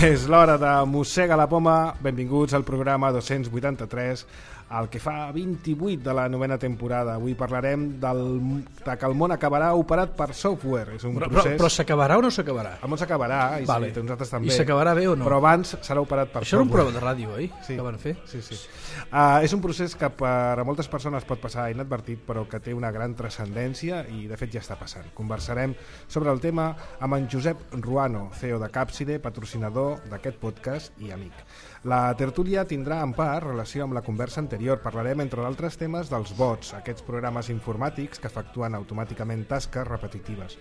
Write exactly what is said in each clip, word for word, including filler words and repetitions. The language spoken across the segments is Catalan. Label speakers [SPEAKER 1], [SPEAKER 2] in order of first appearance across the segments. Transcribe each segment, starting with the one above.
[SPEAKER 1] És l'hora de Mossega la Poma. Benvinguts al programa dos-cents vuitanta-tres, el que fa vint-i-vuit de la novena temporada. Avui parlarem del, de que el món acabarà operat per software. És un
[SPEAKER 2] però,
[SPEAKER 1] procés...
[SPEAKER 2] però, però s'acabarà o no s'acabarà?
[SPEAKER 1] El món s'acabarà, i
[SPEAKER 2] vale.
[SPEAKER 1] sí, nosaltres també.
[SPEAKER 2] I s'acabarà bé o no?
[SPEAKER 1] Però abans serà operat per
[SPEAKER 2] Això
[SPEAKER 1] software.
[SPEAKER 2] era un programa de ràdio, oi?
[SPEAKER 1] Sí.
[SPEAKER 2] Que van fer?
[SPEAKER 1] Sí, sí. Uh, és un procés que per a moltes persones pot passar inadvertit, però que té una gran transcendència i de fet ja està passant. Conversarem sobre el tema amb en Josep Ruano, C E O de Capside, patrocinador d'aquest podcast i amic. La tertúlia tindrà en part relació amb la conversa anterior. Parlarem, entre d'altres temes, dels bots, aquests programes informàtics que efectuen automàticament tasques repetitives,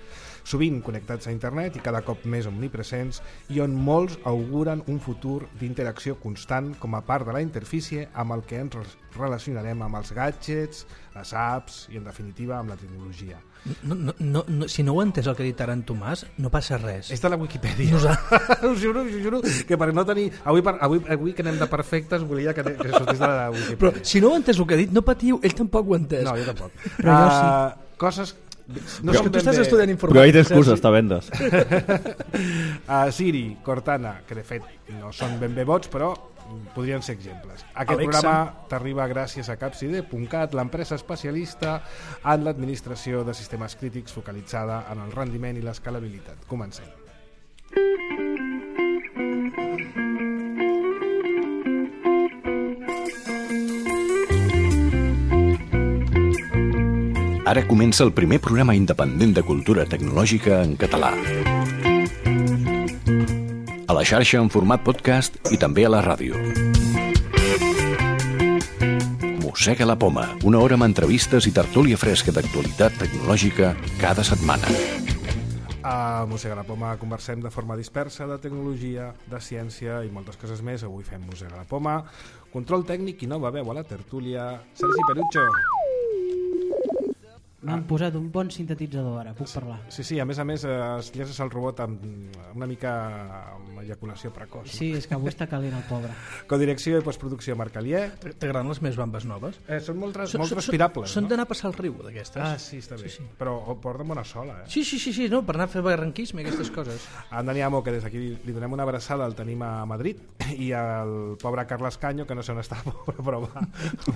[SPEAKER 1] sovint connectats a internet i cada cop més omnipresents, i on molts auguren un futur d'interacció constant com a part de la interfície amb el que ens relacionarem amb els gadgets, les apps i, en definitiva, amb la tecnologia.
[SPEAKER 2] No, no, no, no, si no ho ha entès el que ha dit ara en Tomàs, no passa res.
[SPEAKER 1] És de la Wikipedia. Us juro, us juro que per no tenir... Avui, per, avui, avui que anem de perfectes volia que, que sortís de la Wikipedia.
[SPEAKER 2] Però si no ho ha entès el que ha dit, no patiu, ell tampoc ho ha entès.
[SPEAKER 1] No, jo tampoc.
[SPEAKER 2] Però uh, jo sí.
[SPEAKER 1] Coses...
[SPEAKER 2] No però, tu estàs bé... estudiant informàtica.
[SPEAKER 3] Però hi ha excuses, està vendes.
[SPEAKER 1] uh, Siri, Cortana, que de fet no són ben bé bots, però podrien ser exemples. Aquest
[SPEAKER 2] Alexa.
[SPEAKER 1] programa t'arriba gràcies a Capside punt cat, l'empresa especialista en l'administració de sistemes crítics focalitzada en el rendiment i l'escalabilitat. Comencem.
[SPEAKER 4] Ara comença el primer programa independent de cultura tecnològica en català. A la xarxa en format podcast i també a la ràdio. Mossega la Poma, una hora amb entrevistes i tertúlia fresca d'actualitat tecnològica cada setmana.
[SPEAKER 1] A Mossega la Poma conversem de forma dispersa de tecnologia, de ciència i moltes coses més. Avui fem Mossega la Poma. Control tècnic i nova veu a la tertúlia, Sergi Perucho.
[SPEAKER 5] M'han ah. posat un bon sintetitzador ara, puc parlar.
[SPEAKER 1] Sí, sí, a més a més es llences el robot amb una mica amb eyaculació precoç.
[SPEAKER 5] Sí, no? És que avui està calent el pobre.
[SPEAKER 1] Codirecció i postproducció Marc Alier.
[SPEAKER 2] T'agraden les meves bambes noves?
[SPEAKER 1] Eh, són molt,
[SPEAKER 2] són,
[SPEAKER 1] molt respirables.
[SPEAKER 2] Són
[SPEAKER 1] no?
[SPEAKER 2] d'anar a passar el riu, d'aquestes.
[SPEAKER 1] Ah, sí, està bé. Sí, sí. Però porten bona sola, eh?
[SPEAKER 2] Sí, sí, sí, sí, no, per anar a fer barranquisme i aquestes coses.
[SPEAKER 1] A en Dani Amo, que des d'aquí li donem una abraçada, el tenim a Madrid, i al pobre Carles Canyo, que no sé on està, però va,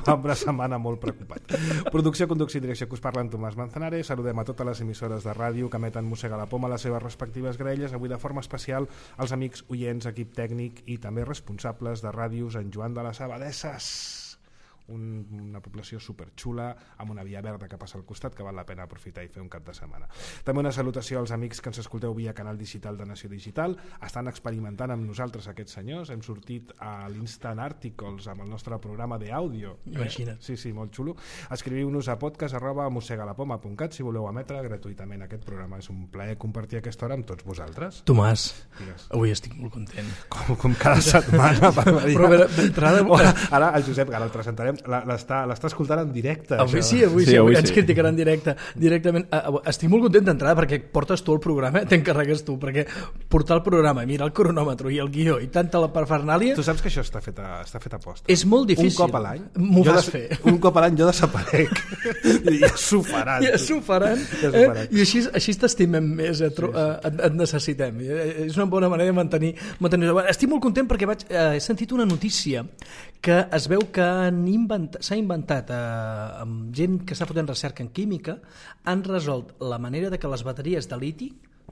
[SPEAKER 1] va amb una setmana molt preocupat. Producció, conducció i direcció que us parla en Tomàs Manzanares. Saludem a totes les emissores de ràdio que emeten Mossega la Poma a les seves respectives graelles. Avui de forma especial als amics oients, equip tècnic i també responsables de ràdios en Joan de les Abadesses, un, una població superxula amb una via verda que passa al costat que val la pena aprofitar i fer un cap de setmana. També una salutació als amics que ens escolteu via canal digital de Nació Digital. Estan experimentant amb nosaltres aquests senyors. Hem sortit a l'Instant Articles amb el nostre programa d'àudio.
[SPEAKER 2] Imagina't.
[SPEAKER 1] Sí, sí, molt xulo. Escriviu-nos a podcast arroba mossegalapoma punt cat si voleu emetre gratuïtament aquest programa. És un plaer compartir aquesta hora amb tots vosaltres.
[SPEAKER 2] Tomàs,
[SPEAKER 1] Digues.
[SPEAKER 2] Avui estic molt content.
[SPEAKER 1] Com, com cada setmana.
[SPEAKER 2] Però d'entrada...
[SPEAKER 1] Ara el Josep, ara el presentarem, l'està escoltant en directe.
[SPEAKER 2] Avui
[SPEAKER 1] això.
[SPEAKER 2] sí, avui sí,
[SPEAKER 3] sí, avui
[SPEAKER 2] ens
[SPEAKER 3] sí.
[SPEAKER 2] criticaran en directe, directament. Estic molt content d'entrada perquè portes tu el programa, t'encarregues tu, perquè portar el programa, mirar el cronòmetre i el guió i tanta la parafernàlia...
[SPEAKER 1] Tu saps que això està fet a, està fet a posta.
[SPEAKER 2] És molt difícil.
[SPEAKER 1] Un cop a l'any
[SPEAKER 2] m'ho fas
[SPEAKER 1] des,
[SPEAKER 2] fer.
[SPEAKER 1] Un cop a l'any jo desaparec. I ja s'ho faran.
[SPEAKER 2] Ja s'ho faran.
[SPEAKER 1] Ja
[SPEAKER 2] eh? I així, així t'estimem més, eh?
[SPEAKER 1] Sí, sí.
[SPEAKER 2] Et, et necessitem. És una bona manera de mantenir... mantenir... Estic molt content perquè vaig, eh, he sentit una notícia que es veu que s'ha inventat eh, amb gent que està fotent recerca en química, han resolt la manera de que les bateries de liti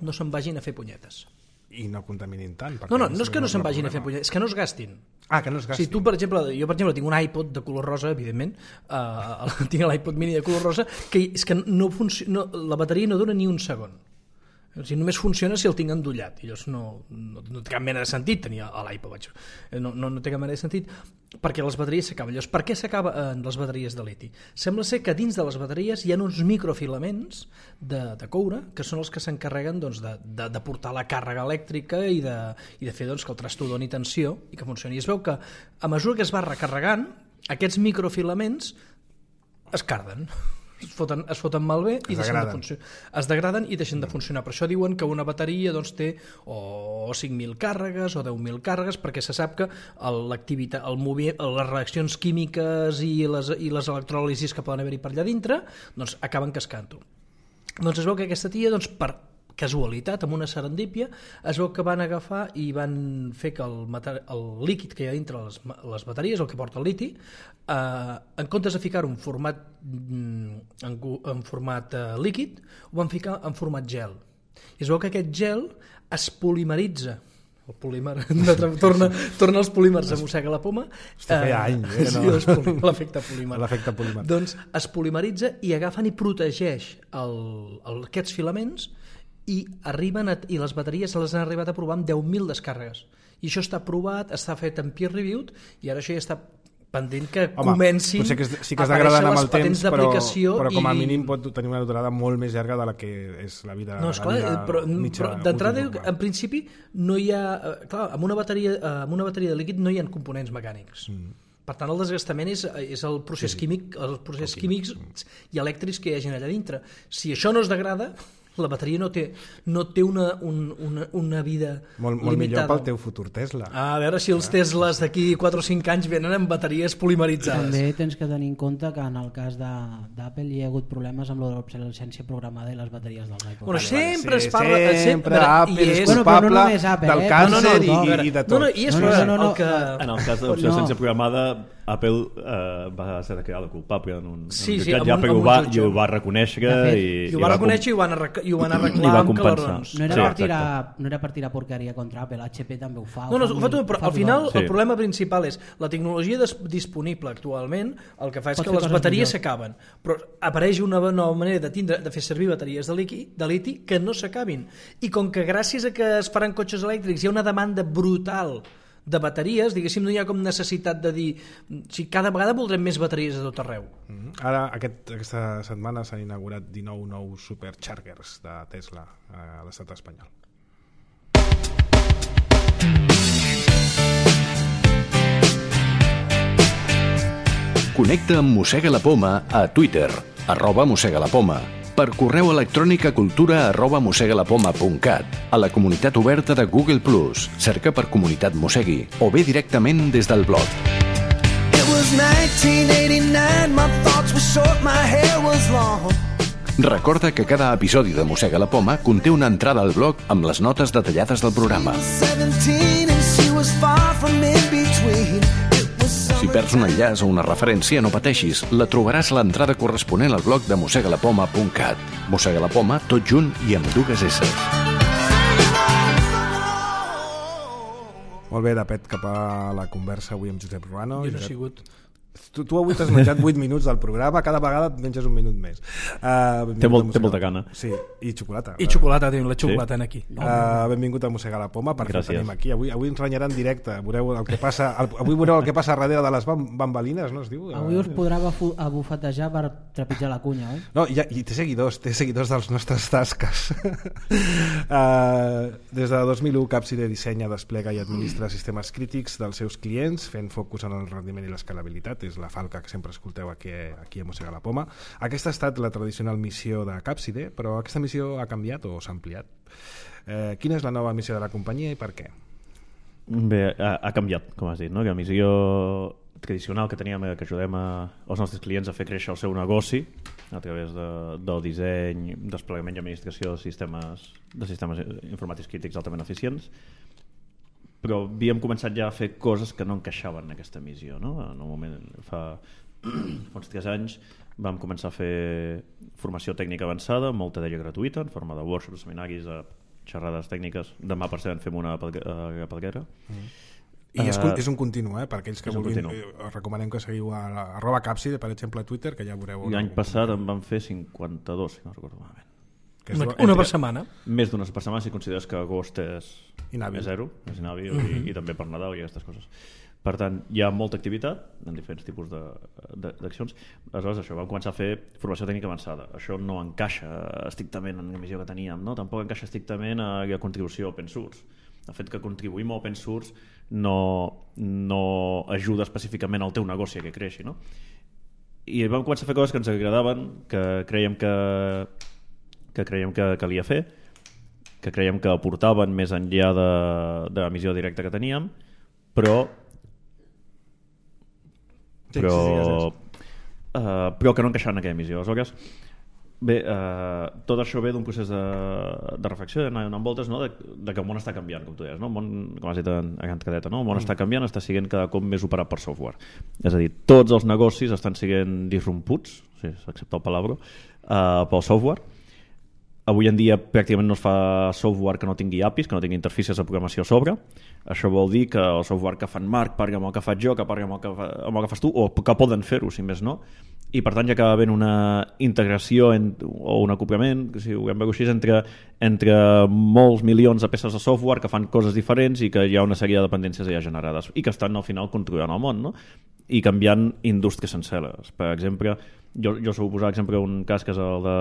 [SPEAKER 2] no se'n vagin a fer punyetes.
[SPEAKER 1] I no contaminin tant.
[SPEAKER 2] No, no, no és que no se'n vagin a fer punyetes, és que no es gastin.
[SPEAKER 1] Ah, que no es gastin.
[SPEAKER 2] Si tu, per exemple, jo per exemple tinc un iPod de color rosa, evidentment, uh, tinc l'iPod mini de color rosa, que és que no funciona, no, la bateria no dura ni un segon. O sigui, només funciona si el tinc endollat. I llavors no, no, no té cap mena de sentit tenir l'iPod. No, no, no té cap mena de sentit perquè les bateries s'acaben. Llavors, per què s'acaben les bateries de liti? Sembla ser que dins de les bateries hi ha uns microfilaments de, de coure que són els que s'encarreguen doncs, de, de, de portar la càrrega elèctrica i de, i de fer doncs, que el trasto doni tensió i que funcioni. I es veu que a mesura que es va recarregant, aquests microfilaments es carden. Es foten, es foten malbé i
[SPEAKER 1] es
[SPEAKER 2] deixen
[SPEAKER 1] degraden.
[SPEAKER 2] de funcionar. Es degraden i deixen de funcionar. Per això diuen que una bateria doncs, té o cinc mil càrregues o deu mil càrregues, perquè se sap que l'activitat, el movi, les reaccions químiques i les, i les electròlisis que poden haver-hi per allà dintre doncs, acaben cascant-ho. Doncs es veu que aquesta tia, doncs, per casualitat, amb una serendípia, es veu que van agafar i van fer que el, el líquid que hi ha dintre les, les bateries, el que porta el liti, eh, en comptes de ficar-ho en format, en, en format eh, líquid, ho van ficar en format gel. I es veu que aquest gel es polimeritza, el polímer, torna, torna els polímers a mossega la poma.
[SPEAKER 1] Esto feia anys, eh?
[SPEAKER 2] Sí,
[SPEAKER 1] No?
[SPEAKER 2] l'efecte polímer.
[SPEAKER 1] L'efecte polímer.
[SPEAKER 2] Doncs es polimeritza i agafen i protegeix el, el, aquests filaments i arriben a, i les bateries se les han arribat a provar amb deu mil descàrregues. I això està provat, està fet en peer reviewed i ara això ja està pendent que
[SPEAKER 1] Home,
[SPEAKER 2] comencin
[SPEAKER 1] potser que es, sí que
[SPEAKER 2] a
[SPEAKER 1] es degraden
[SPEAKER 2] aparèixer
[SPEAKER 1] amb
[SPEAKER 2] les
[SPEAKER 1] el temps,
[SPEAKER 2] patents
[SPEAKER 1] però,
[SPEAKER 2] d'aplicació
[SPEAKER 1] però com a
[SPEAKER 2] i...
[SPEAKER 1] mínim pot tenir una durada molt més llarga de la que és la vida,
[SPEAKER 2] No, esclar,
[SPEAKER 1] la vida
[SPEAKER 2] però,
[SPEAKER 1] mitja.
[SPEAKER 2] però d'entrada,
[SPEAKER 1] útil,
[SPEAKER 2] en principi, no hi ha... Clar, amb una bateria, amb una bateria de líquid no hi ha components mecànics. Mm. Per tant, el desgastament és, és el procés sí, químic, els processos químics i elèctrics que hi hagin allà dintre. Si això no es degrada, la bateria no té, no té una, un, una, una vida
[SPEAKER 1] molt, molt
[SPEAKER 2] limitada.
[SPEAKER 1] millor pel teu futur Tesla.
[SPEAKER 2] Ah, a veure si els Teslas d'aquí quatre o cinc anys venen amb bateries polimeritzades.
[SPEAKER 5] També tens que tenir en compte que en el cas d'Apple hi ha hagut problemes amb l'obsolescència programada i les bateries dels iPods.
[SPEAKER 2] Bueno, sempre
[SPEAKER 1] sí,
[SPEAKER 2] es parla...
[SPEAKER 1] Sempre
[SPEAKER 2] sempre,
[SPEAKER 1] Apple
[SPEAKER 2] i
[SPEAKER 1] és
[SPEAKER 2] és,
[SPEAKER 1] culpable
[SPEAKER 5] bueno, però no només Apple,
[SPEAKER 1] del
[SPEAKER 5] eh?
[SPEAKER 1] càncer
[SPEAKER 2] No, no, no,
[SPEAKER 1] i,
[SPEAKER 2] no,
[SPEAKER 1] i, i de tot.
[SPEAKER 2] No, no, i és
[SPEAKER 5] No, no,
[SPEAKER 2] no,
[SPEAKER 5] no, no,
[SPEAKER 2] el que...
[SPEAKER 3] En el cas de l'obsolescència
[SPEAKER 5] No.
[SPEAKER 3] programada, Apple eh, va ser declarada culpable en un,
[SPEAKER 2] Sí,
[SPEAKER 3] en un
[SPEAKER 2] sí,
[SPEAKER 3] jutjat,
[SPEAKER 2] amb
[SPEAKER 3] ja,
[SPEAKER 2] un-
[SPEAKER 3] perquè
[SPEAKER 2] amb
[SPEAKER 3] ho
[SPEAKER 2] un
[SPEAKER 3] va,
[SPEAKER 2] jutge.
[SPEAKER 3] i ho va reconèixer
[SPEAKER 5] De fet,
[SPEAKER 3] i,
[SPEAKER 2] I ho va
[SPEAKER 3] va
[SPEAKER 2] reconèixer i ho van, arreglar, i ho van
[SPEAKER 3] i
[SPEAKER 2] arreglar
[SPEAKER 3] va
[SPEAKER 2] amb
[SPEAKER 3] compensar.
[SPEAKER 2] calarons.
[SPEAKER 5] No era,
[SPEAKER 3] Sí,
[SPEAKER 5] per
[SPEAKER 3] exacte.
[SPEAKER 5] tirar, no era per tirar porqueria contra Apple, H P també ho fa.
[SPEAKER 2] No, no,
[SPEAKER 5] ho
[SPEAKER 2] ho fa tot, però al
[SPEAKER 5] tothom.
[SPEAKER 2] final
[SPEAKER 3] Sí.
[SPEAKER 2] el problema principal és la tecnologia des- disponible actualment, el que fa és
[SPEAKER 5] Pot
[SPEAKER 2] que
[SPEAKER 5] fer
[SPEAKER 2] les
[SPEAKER 5] coses
[SPEAKER 2] bateries
[SPEAKER 5] millors.
[SPEAKER 2] s'acaben, però apareix una nova manera de, tindre, de fer servir bateries de liti, de liti que no s'acabin. I com que gràcies a que es faran cotxes elèctrics hi ha una demanda brutal de bateries, diguéssim, no hi ha com necessitat de dir si cada vegada voldrem més bateries a tot arreu.
[SPEAKER 1] Mhm. Ara, aquest, aquesta setmana s'han inaugurat dinou nous superchargers de Tesla a l'estat espanyol.
[SPEAKER 4] Connecta amb Mossega la Poma a Twitter, arroba Mossega la Poma, per correu electrònic a cultura arroba mossegalapoma punt cat, a la comunitat oberta de Google plus, cerca per Comunitat Mossegui, o bé directament des del blog.
[SPEAKER 6] It was nineteen eighty-nine, my thoughts were short, my hair was long.
[SPEAKER 4] Recorda que cada episodi de Mossega la Poma conté una entrada al blog amb les notes detallades del programa.
[SPEAKER 6] seventeen and she was far from in between. It was
[SPEAKER 4] Si perds un enllaç o una referència, no pateixis, la trobaràs a l'entrada corresponent al blog de mossegalapoma punt cat. Mossega la Poma, tot junt i amb dues S.
[SPEAKER 1] Molt bé, de pet cap a la conversa avui amb Josep Ruano.
[SPEAKER 2] Jo no he
[SPEAKER 1] Josep,
[SPEAKER 2] sigut...
[SPEAKER 1] Tu, tu avui t'has menjat vuit minuts del programa, cada vegada et menges un minut més. Uh,
[SPEAKER 3] Té, molt, té molta gana.
[SPEAKER 1] Sí, i xocolata.
[SPEAKER 2] I xocolata, tenim la xocolata en aquí.
[SPEAKER 1] Uh, benvingut a Mossegar la Poma, per què el
[SPEAKER 3] Gràcies.
[SPEAKER 1] tenim aquí. Avui, avui ens renyarà en directe, veureu el que passa, el, avui veureu el que passa darrere de les bam, bambalines, no es diu?
[SPEAKER 5] Avui us podrà bafu- abufetejar per trepitjar la cunya, oi?
[SPEAKER 1] No, i, i té seguidors, té seguidors dels nostres tasques. uh, des de dos mil u, Capside dissenya, desplega i administra sistemes crítics dels seus clients, fent focus en el rendiment i l'escalabilitat. És la falca que sempre escolteu aquí, aquí a Mossegar la Poma. Aquesta ha estat la tradicional missió de Capside, però aquesta missió ha canviat o s'ha ampliat. Eh, quina és la nova missió de la companyia i per què?
[SPEAKER 3] Bé, ha, ha canviat, com has dit, no? Que la missió tradicional que teníem era que ajudem a, als nostres clients a fer créixer el seu negoci a través de, del disseny, desplegament i administració de sistemes, de sistemes informàtics crítics altament eficients, però havíem començat ja a fer coses que no encaixaven en aquesta missió, no? En un moment, fa, fa uns tres anys vam començar a fer formació tècnica avançada, molta d'ella gratuïta, en forma de workshops, seminaris, xerrades tècniques. Demà, per cert, en fem una a Pedguera. Mm.
[SPEAKER 1] I és,
[SPEAKER 3] Uh,
[SPEAKER 1] és un continu, eh? Per aquells que
[SPEAKER 3] és un
[SPEAKER 1] vulguin,
[SPEAKER 3] continu.
[SPEAKER 1] eh, recomanem que seguiu a, la, arroba Capside, per exemple, a Twitter, que ja veureu...
[SPEAKER 3] L'any passat en van fer cinquanta-dos, si no recordo malament.
[SPEAKER 1] Que és
[SPEAKER 2] Una,
[SPEAKER 1] lo-
[SPEAKER 2] una
[SPEAKER 1] entre-
[SPEAKER 2] per setmana.
[SPEAKER 3] Més d'una per setmana si consideres que agost és,
[SPEAKER 1] Inhàbil.
[SPEAKER 3] és zero, és inhàbil, uh -huh. i, i també per Nadal i aquestes coses. Per tant, hi ha molta activitat en diferents tipus d'accions. Aleshores, això, vam començar a fer formació tècnica avançada. Això no encaixa estrictament en la missió que teníem, no? Tampoc encaixa estrictament a la contribució a open source. El fet que contribuïm a open source no, no ajuda específicament al teu negoci a que creixi, no? I vam començar a fer coses que ens agradaven, que creiem que que creiem que calia fer, que creiem que aportaven més enllà de, de la missió directa que teníem, però
[SPEAKER 1] Sí,
[SPEAKER 3] però,
[SPEAKER 1] sí, sí,
[SPEAKER 3] uh, però que no encaixaven en aquella missió. Aleshores, Bé, eh, tot això ve d'un procés de, de reflexió, d'anar donant voltes, no? de, de que el món està canviant, com tu deies, no? El món, com has dit a Can Cadeta, no? El món mm. està canviant, està sent cada cop més operat per software. És a dir, tots els negocis estan sent disromputs, si s'accepta el palabra, eh, pel software. Avui en dia pràcticament no es fa software que no tingui A P Is, que no tingui interfícies de programació a sobre. Això vol dir que el software que fan Marc parla amb el que faig jo, que parla amb el que, fa, amb el que fas tu, o que poden fer-ho, si més no. I per tant ja acaba havent una integració en, o un acoplament, si ho hem veure així, entre, entre molts milions de peces de software que fan coses diferents i que hi ha una sèrie de dependències ja generades i que estan al final controlant el món, no? I canviant indústries senceres. Per exemple, jo, jo us vull posar exemple un cas que és el de,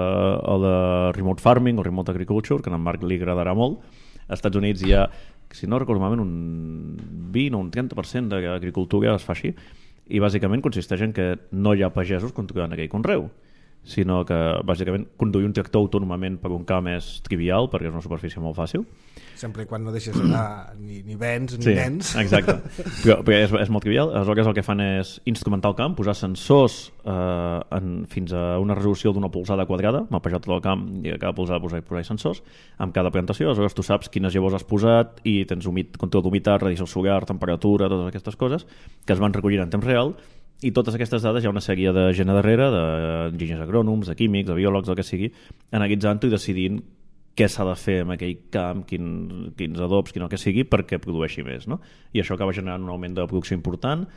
[SPEAKER 3] el de remote farming o remote agriculture, que a en Marc li agradarà molt. Als Estats Units hi ha, si no recordo malament, un vint o un trenta per cent d'agricultura es fa així, i bàsicament consisteix en que no hi ha pagesos controlant aquell conreu, sinó que bàsicament conduir un tractor autònomament per un camp és trivial perquè és una superfície molt fàcil.
[SPEAKER 1] Sempre i quan no deixes anar ni, ni vents ni
[SPEAKER 3] sí,
[SPEAKER 1] nens.
[SPEAKER 3] Exacte, però, però és, és molt trivial. Aleshores el que fan és instrumentar el camp, posar sensors eh, en, fins a una resolució d'una polzada quadrada, mapejar tot el camp i a cada polzada posar, posar sensors amb cada plantació. Aleshores tu saps quines llavors has posat i tens humit, control d'humitat, radiació solar, temperatura, totes aquestes coses que es van recollint en temps real. I totes aquestes dades hi ha una sèrie de gent a darrere, d'enginyers agrònoms, de químics, de biòlegs, el que sigui, analitzant-ho i decidint què s'ha de fer amb aquell camp, quin, quins adobs, quin el que sigui, perquè produeixi més, no? I això acaba generant un augment de producció important,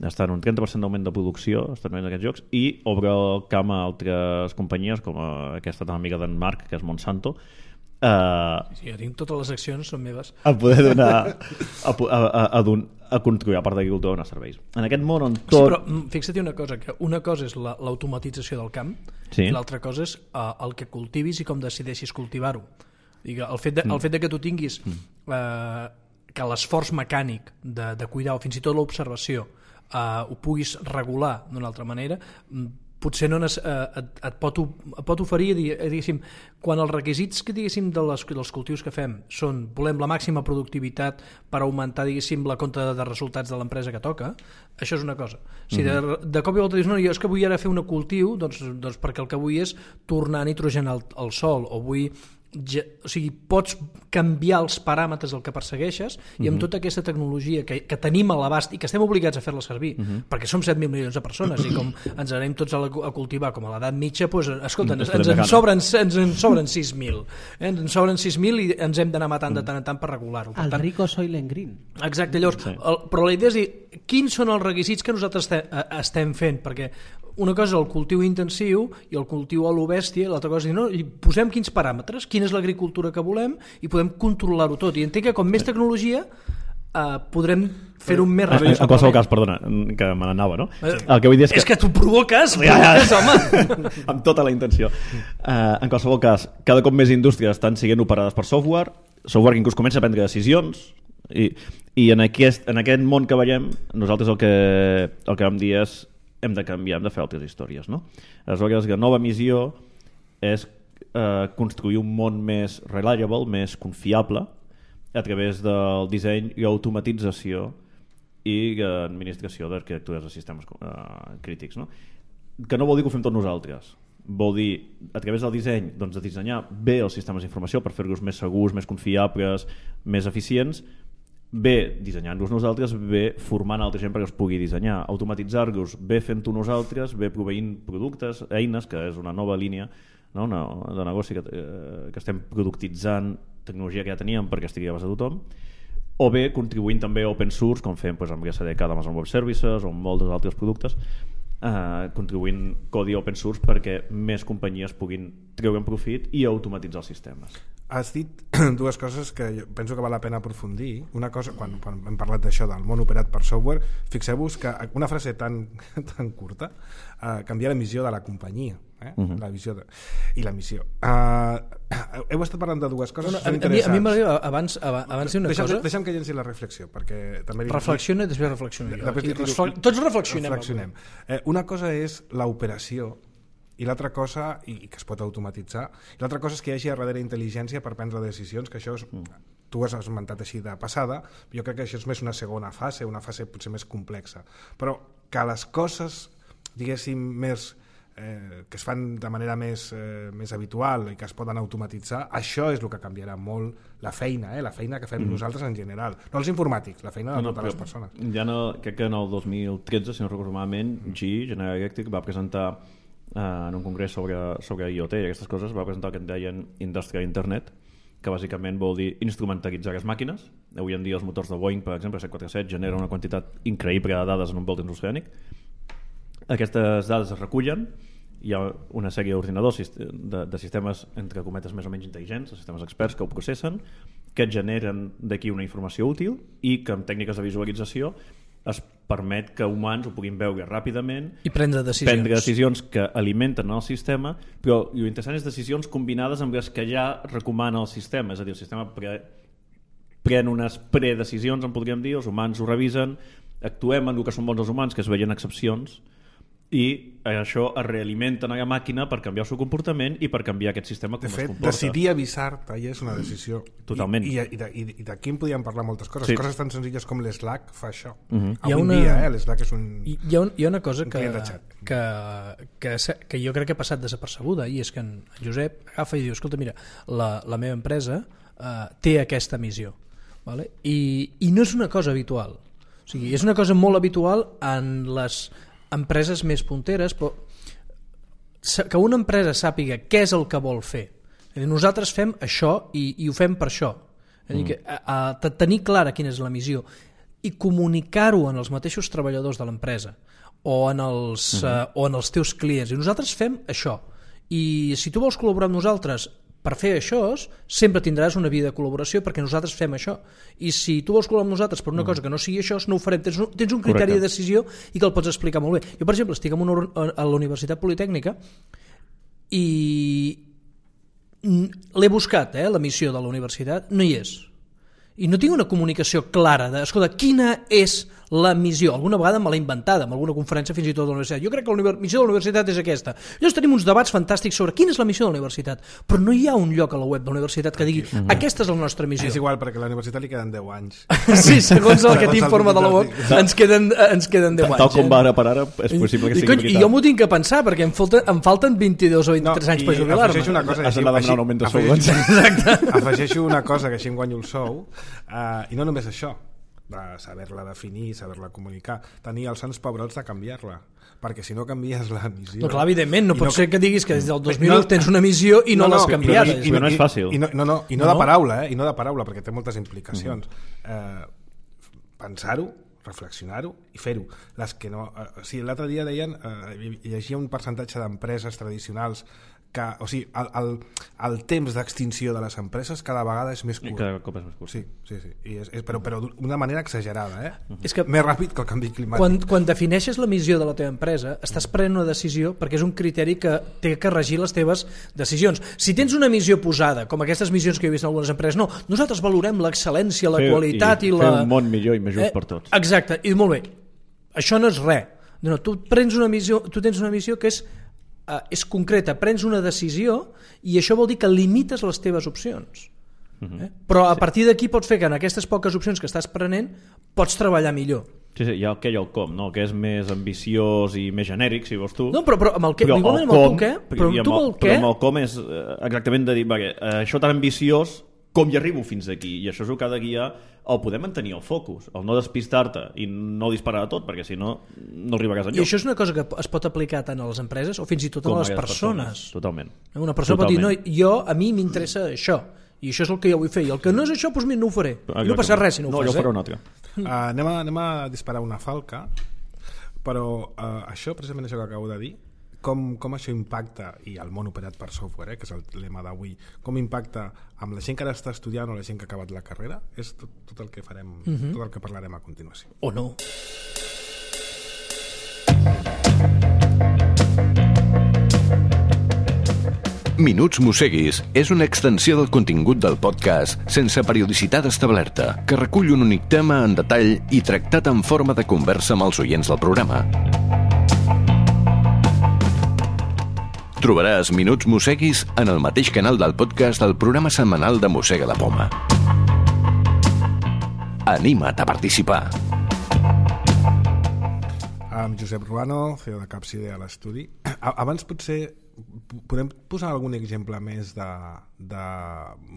[SPEAKER 3] està en un trenta per cent d'augment de producció, estan en aquests jocs, i obre el camp a altres companyies, com aquesta tan amiga d'en Marc, que és Monsanto. Uh,
[SPEAKER 2] sí, jo tinc totes les accions, són meves.
[SPEAKER 3] A poder donar, a, a, a, a, a construir, a part d'agricultura, donar serveis. En aquest món on tot...
[SPEAKER 2] Sí, però fixa't una cosa, que una cosa és la, l'automatització del camp, sí. I l'altra cosa és uh, el que cultivis i com decideixis cultivar-ho. Digue, el, fet de, el fet de que tu tinguis uh, que l'esforç mecànic de, de cuidar, o fins i tot l'observació, uh, ho puguis regular d'una altra manera, potser no nes, eh, et, et, pot, et pot oferir, diguéssim, quan els requisits que, diguéssim, de les, dels cultius que fem són, volem la màxima productivitat per augmentar, diguéssim, la compta de resultats de l'empresa que toca, això és una cosa. Si de, de cop i volta dius, no, jo és que vull ara fer un cultiu, doncs, doncs perquè el que vull és tornar a nitrogenar el, el sol, o vull... Ja, o sigui, pots canviar els paràmetres del que persegueixes i amb uh-huh. tota aquesta tecnologia que, que tenim a l'abast i que estem obligats a fer-la servir uh-huh. perquè som set mil milions de persones i com ens anem tots a, la, a cultivar com a l'edat mitja, doncs, escolta, ens, ens, en sobren, ens en sobren sis mil eh? ens en sobren sis mil i ens hem d'anar matant de tant en tant per regular-ho. Per
[SPEAKER 5] el
[SPEAKER 2] tant,
[SPEAKER 5] rico Soylent Green.
[SPEAKER 2] Exacte, llavors, sí. el, però la idea és dir, quins són els requisits que nosaltres estem, estem fent, perquè una cosa és el cultiu intensiu i el cultiu a lo bèstia, l'altra cosa és dir, no, posem quins paràmetres, quina és l'agricultura que volem i podem controlar-ho tot. I entenc que com més tecnologia eh, podrem fer-ho més ràpid.
[SPEAKER 3] En qualsevol cas, perdona, que me n'anava, no? Sí. El que vull dir és que...
[SPEAKER 2] És que tu provoques, provoques, home!
[SPEAKER 3] Amb tota la intenció. Uh, en qualsevol cas, cada cop més indústries estan siguent operades per software, software que inclús comença a prendre decisions, i, i en, aquest, en aquest món que veiem, nosaltres el que, el que vam dir és hem de canviar, hem de fer altres històries, no? Aleshores, la nova missió és eh, construir un món més reliable, més confiable, a través del disseny i automatització i administració d'arquitectures de sistemes eh, crítics, no? Que no vol dir que ho fem tots nosaltres. Vol dir, a través del disseny, doncs, de dissenyar bé els sistemes d'informació per fer-los més segurs, més confiables, més eficients, bé dissenyant-los nosaltres, bé formant altra gent perquè els pugui dissenyar, automatitzar-los, bé fent-ho nosaltres, bé proveint productes, eines, que és una nova línia, no? Una, de negoci que, eh, que estem productitzant tecnologia que ja teníem perquè estigui a base de tothom, o bé contribuint també a open source, com fem doncs, amb S D K d'Amazon Web Services o amb molts altres productes, eh, contribuint codi open source perquè més companyies puguin treure profit i automatitzar els sistemes.
[SPEAKER 1] Has dit dues coses que jo penso que val la pena aprofundir. Una cosa, quan, quan hem parlat d'això del món operat per software, fixeu-vos que una frase tan, tan curta uh, canvia la missió de la companyia, eh? uh-huh. la visió de, i la missió. Uh, heu estat parlant de dues coses
[SPEAKER 2] no, no, a, mi, a mi m'agradaria abans, abans una
[SPEAKER 1] deixa'm,
[SPEAKER 2] cosa...
[SPEAKER 1] Deixa'm que llenci la reflexió, perquè també...
[SPEAKER 2] Reflexiona i després reflexiono jo. Refle... Tots reflexionem.
[SPEAKER 1] reflexionem. Eh, una cosa és l'operació i l'altra cosa, i que es pot automatitzar, i l'altra cosa és que hi hagi a darrere intel·ligència per prendre decisions, que això és, tu has esmentat així de passada, jo crec que això és més una segona fase, una fase potser més complexa, però que les coses, diguéssim, més eh, que es fan de manera més, eh, més habitual i que es poden automatitzar, això és el que canviarà molt la feina, eh? La feina que fem mm. nosaltres en general, no els informàtics, la feina de
[SPEAKER 3] no,
[SPEAKER 1] totes
[SPEAKER 3] no,
[SPEAKER 1] les persones.
[SPEAKER 3] Ja no, crec que en el dos mil tretze, si no recordo malament, G E, General Electric, va presentar eh, en un congrés sobre, sobre I o T i aquestes coses, va presentar el que en deien Industrial Internet, que bàsicament vol dir instrumentalitzar les màquines. Avui en dia els motors de Boeing, per exemple, set quatre set, generen una quantitat increïble de dades en un volt transoceànic. Aquestes dades es recullen, hi ha una sèrie d'ordinadors de, de sistemes, entre cometes, més o menys intel·ligents, de sistemes experts que ho processen, que generen d'aquí una informació útil i que amb tècniques de visualització es permet que humans ho puguin veure ràpidament
[SPEAKER 2] i prendre decisions,
[SPEAKER 3] prendre decisions que alimenten el sistema, però l'interessant és decisions combinades amb les que ja recomana el sistema, és a dir, el sistema pre pren unes predecisions, en podríem dir, els humans ho revisen, actuem en el que són bons els humans, que es veien excepcions, i això es realimenten a la màquina per canviar el seu comportament i per canviar aquest sistema com
[SPEAKER 1] de fet,
[SPEAKER 3] es comporta.
[SPEAKER 1] decidir avisar-te ja és una decisió.
[SPEAKER 3] Totalment.
[SPEAKER 1] I, i, i, i d'aquí en podíem parlar moltes coses.
[SPEAKER 3] Sí.
[SPEAKER 1] Coses tan senzilles com l'Slack fa això.
[SPEAKER 3] Uh -huh.
[SPEAKER 1] Avui una... dia, eh, l'Slack és un...
[SPEAKER 2] Hi ha, un, hi ha una cosa que,
[SPEAKER 1] que,
[SPEAKER 2] que, que, que jo crec que ha passat desapercebuda, i és que en Josep agafa i diu, escolta, mira, la, la meva empresa eh, té aquesta missió, vale? I, i no és una cosa habitual. O sigui, és una cosa molt habitual en les empreses més punteres, però que una empresa sàpiga què és el que vol fer. Nosaltres fem això i, i ho fem per això. És a dir, que, a, a tenir clara quina és la missió i comunicar-ho en els mateixos treballadors de l'empresa o, en els, uh -huh. uh, o en els teus clients. I nosaltres fem això. I si tu vols col·laborar amb nosaltres per fer això, sempre tindràs una via de col·laboració perquè nosaltres fem això. I si tu vols col·laborar amb nosaltres per una cosa que no sigui això, no ho farem. Tens un, tens un criteri Correcte. de decisió i que el pots explicar molt bé. Jo, per exemple, estic en una, a la Universitat Politècnica i l'he buscat, eh, la missió de la universitat, no hi és. I no tinc una comunicació clara de, escolta, quina és la missió. Alguna vegada me l'he inventada, en alguna conferència fins i tot de la universitat. Jo crec que la missió de la universitat és aquesta. Llavors tenim uns debats fantàstics sobre quina és la missió de la universitat, però no hi ha un lloc a la web de la universitat que digui uh-huh. aquesta és la nostra missió.
[SPEAKER 1] És igual, perquè a la universitat li queden deu anys.
[SPEAKER 2] Sí, segons el que t'informa de la web, ens queden, ens queden deu anys.
[SPEAKER 3] Tal com va ara per ara, és possible que sigui
[SPEAKER 2] veritat. I jo m'ho tinc que pensar, perquè em falten, em falten vint-i-dos o vint-i-tres no, anys per jubilar-me.
[SPEAKER 1] Afegeixo una cosa,
[SPEAKER 3] has d'anar a demanar un augment de sou.
[SPEAKER 1] Exacte. Afegeixo una cosa, que així em guanyo el sou, uh, i no només això, de saber-la definir, saber-la comunicar, tenir els sants pebrots de canviar-la, perquè si no canvies la missió...
[SPEAKER 2] No, clar, evidentment, no pot no... ser que diguis que des del dos mil no, tens una missió i no, no, no l'has canviat.
[SPEAKER 3] I, i, no, no és fàcil.
[SPEAKER 1] I no, no, no, i no, no de paraula, eh? I no de paraula, perquè té moltes implicacions. Uh-huh. eh, pensar-ho, reflexionar-ho i fer-ho. Les que no... Eh, o sigui, l'altre dia deien, eh, llegia un percentatge d'empreses tradicionals que, o sigui, el, el, el temps d'extinció de les empreses cada vegada és més curt.
[SPEAKER 3] I cada cop és més curt.
[SPEAKER 1] Sí, sí, sí. I és, és, però, però d'una manera exagerada, eh?
[SPEAKER 2] Uh-huh. És que
[SPEAKER 1] més ràpid que el canvi climàtic.
[SPEAKER 2] Quan, quan defineixes la missió de la teva empresa, estàs prenent una decisió perquè és un criteri que té que regir les teves decisions. Si tens una missió posada, com aquestes missions que he vist en algunes empreses, no, nosaltres valorem l'excel·lència, la fer, qualitat i, i la...
[SPEAKER 3] Fer un món millor i més just eh, per tots.
[SPEAKER 2] Exacte, i molt bé. Això no és res. No, tu, prens una missió, tu tens una missió que és Uh, és concreta, prens una decisió i això vol dir que limites les teves opcions. Uh-huh. eh? Però a partir d'aquí pots fer que en aquestes poques opcions que estàs prenent pots treballar millor.
[SPEAKER 3] Sí, sí, hi ha el què i el com, no? Que és més ambiciós i més genèric, si vols tu.
[SPEAKER 2] No, però, però amb el què, però igualment amb el tu què, però amb tu
[SPEAKER 3] el,
[SPEAKER 2] el què...
[SPEAKER 3] Però amb el com és exactament de dir, va, això tan ambiciós, com hi arribo fins aquí? I això és el que ha de guiar el poder mantenir el focus, el no despistar-te i no disparar a tot, perquè si no, no arribaràs enlloc.
[SPEAKER 2] I això és una cosa que es pot aplicar tant a les empreses o fins i tot a les persones. persones.
[SPEAKER 3] Totalment.
[SPEAKER 2] Una persona Totalment. pot dir, no, jo, a mi m'interessa això, i això és el que jo vull fer, i el que no és això, doncs mira, no ho faré. I no passa res si no ho
[SPEAKER 3] no,
[SPEAKER 2] fas.
[SPEAKER 3] No, jo faré
[SPEAKER 2] eh?
[SPEAKER 3] un altre.
[SPEAKER 1] Uh, anem, a, anem a disparar una falca, però uh, això, precisament això que acabo de dir, Com, com això impacta, i el món operat per software, eh, que és el lema d'avui, com impacta amb la gent que ara està estudiant o la gent que ha acabat la carrera, és tot, tot el que farem, uh-huh. tot el que parlarem a continuació.
[SPEAKER 2] O no.
[SPEAKER 4] Minuts Mosseguis és una extensió del contingut del podcast sense periodicitat establerta, que recull un únic tema en detall i tractat en forma de conversa amb els oients del programa. Trobaràs Minuts Mosseguis en el mateix canal del podcast del programa setmanal de Mossega la Poma. Anima't a participar.
[SPEAKER 1] amb Josep Ruano, C E O de Capside a l'estudi. Abans potser podem posar algun exemple més de, de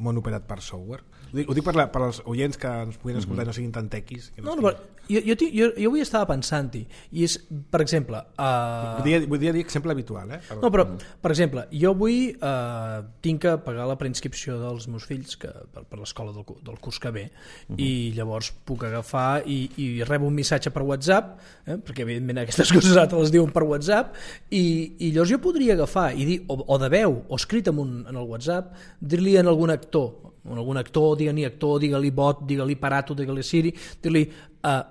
[SPEAKER 1] món operat per software? Ho dic, ho dic per, la, per als oients que ens puguin escoltar i no siguin tan tequis. Que no,
[SPEAKER 2] no, no, jo, jo, jo, jo avui estava pensant-hi, i és, per exemple... Uh...
[SPEAKER 1] Vull dir, vull dir exemple habitual, eh?
[SPEAKER 2] No, però, per exemple, jo avui uh, tinc que pagar la preinscripció dels meus fills que, per, per l'escola del, del curs que ve, uh -huh. i llavors puc agafar i, i rebo un missatge per WhatsApp, eh? perquè evidentment aquestes coses ara te les diuen per WhatsApp, i, i llavors jo podria agafar i dir, o, o de veu o escrit en, un, en el WhatsApp, dir-li en algun actor, en algun actor, digue-li actor, digue-li bot, digue-li parato, digue-li Siri, dir-li eh,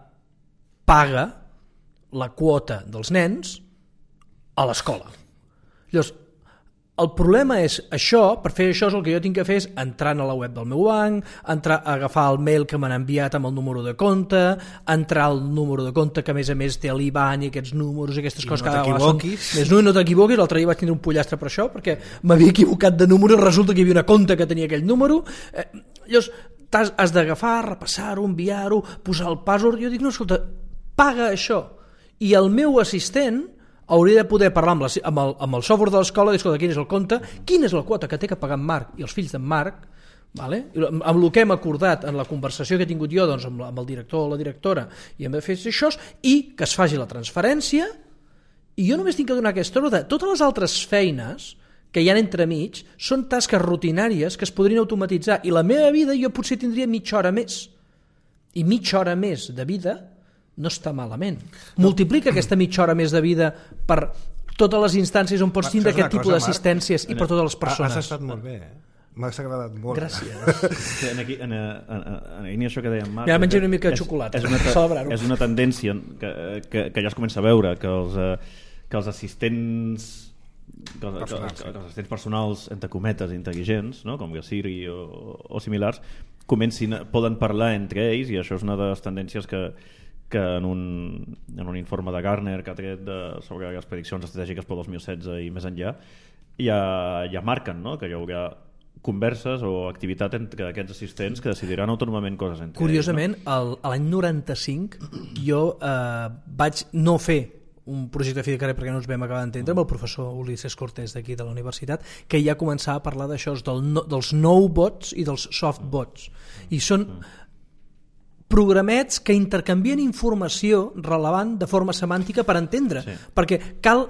[SPEAKER 2] paga la quota dels nens a l'escola. Llavors, el problema és això, per fer això és el que jo tinc que fer és entrar a la web del meu banc, entrar a agafar el mail que m'han enviat amb el número de compte, entrar al número de compte que a més a més té l'I B A N i aquests números i aquestes
[SPEAKER 1] I
[SPEAKER 2] coses
[SPEAKER 1] no
[SPEAKER 2] que
[SPEAKER 1] t'equivoquis.
[SPEAKER 2] Són... Més no, no t'equivoquis, l'altre dia vaig tindre un pollastre per això perquè m'havia equivocat de número i resulta que hi havia una compte que tenia aquell número. Eh, llavors has, has d'agafar, repassar-ho, enviar-ho, posar el password. Jo dic, no, escolta, paga això. I el meu assistent hauria de poder parlar amb, la, amb, el, amb el software de l'escola i dir, escolta, quin és el compte, quina és la quota que té que pagar en Marc i els fills d'en Marc, vale? amb, amb el que hem acordat en la conversació que he tingut jo doncs, amb, la, amb el director o la directora, i hem de fer això, i que es faci la transferència, i jo només tinc que donar aquesta ordre. Totes les altres feines que hi ha entremig són tasques rutinàries que es podrien automatitzar, i la meva vida jo potser tindria mitja hora més, i mitja hora més de vida no està malament. Multiplica aquesta mitja hora més de vida per totes les instàncies on pots tindre aquest tipus d'assistències i per totes les persones.
[SPEAKER 1] Has estat molt bé, eh? M'ha agradat molt.
[SPEAKER 2] Gràcies.
[SPEAKER 3] En, aquí, en, en, en, en això que deia en Marc...
[SPEAKER 2] Ja menjaré una mica de xocolata.
[SPEAKER 3] És, és, una, és una tendència que, que, que ja es comença a veure, que els, que els assistents... Que els, personals, que, que els assistents personals entre cometes intel·ligents, no? Com Siri o, o similars, comencin, poden parlar entre ells, i això és una de les tendències que que en un, en un informe de Gartner que ha tret de, sobre les prediccions estratègiques pel dos mil setze i més enllà ja, ja marquen, no? Que hi haurà converses o activitat entre aquests assistents que decidiran autònomament coses entre
[SPEAKER 2] Curiosament,
[SPEAKER 3] ells, no?
[SPEAKER 2] el, l'any noranta-cinc jo eh, vaig no fer un projecte de fi de carrer perquè no ens vam acabar d'entendre amb el professor Ulises Cortés d'aquí de la universitat, que ja començava a parlar d'això, del no, dels no-bots i dels soft-bots, i són programets que intercanvien informació rellevant de forma semàntica per entendre, sí. perquè cal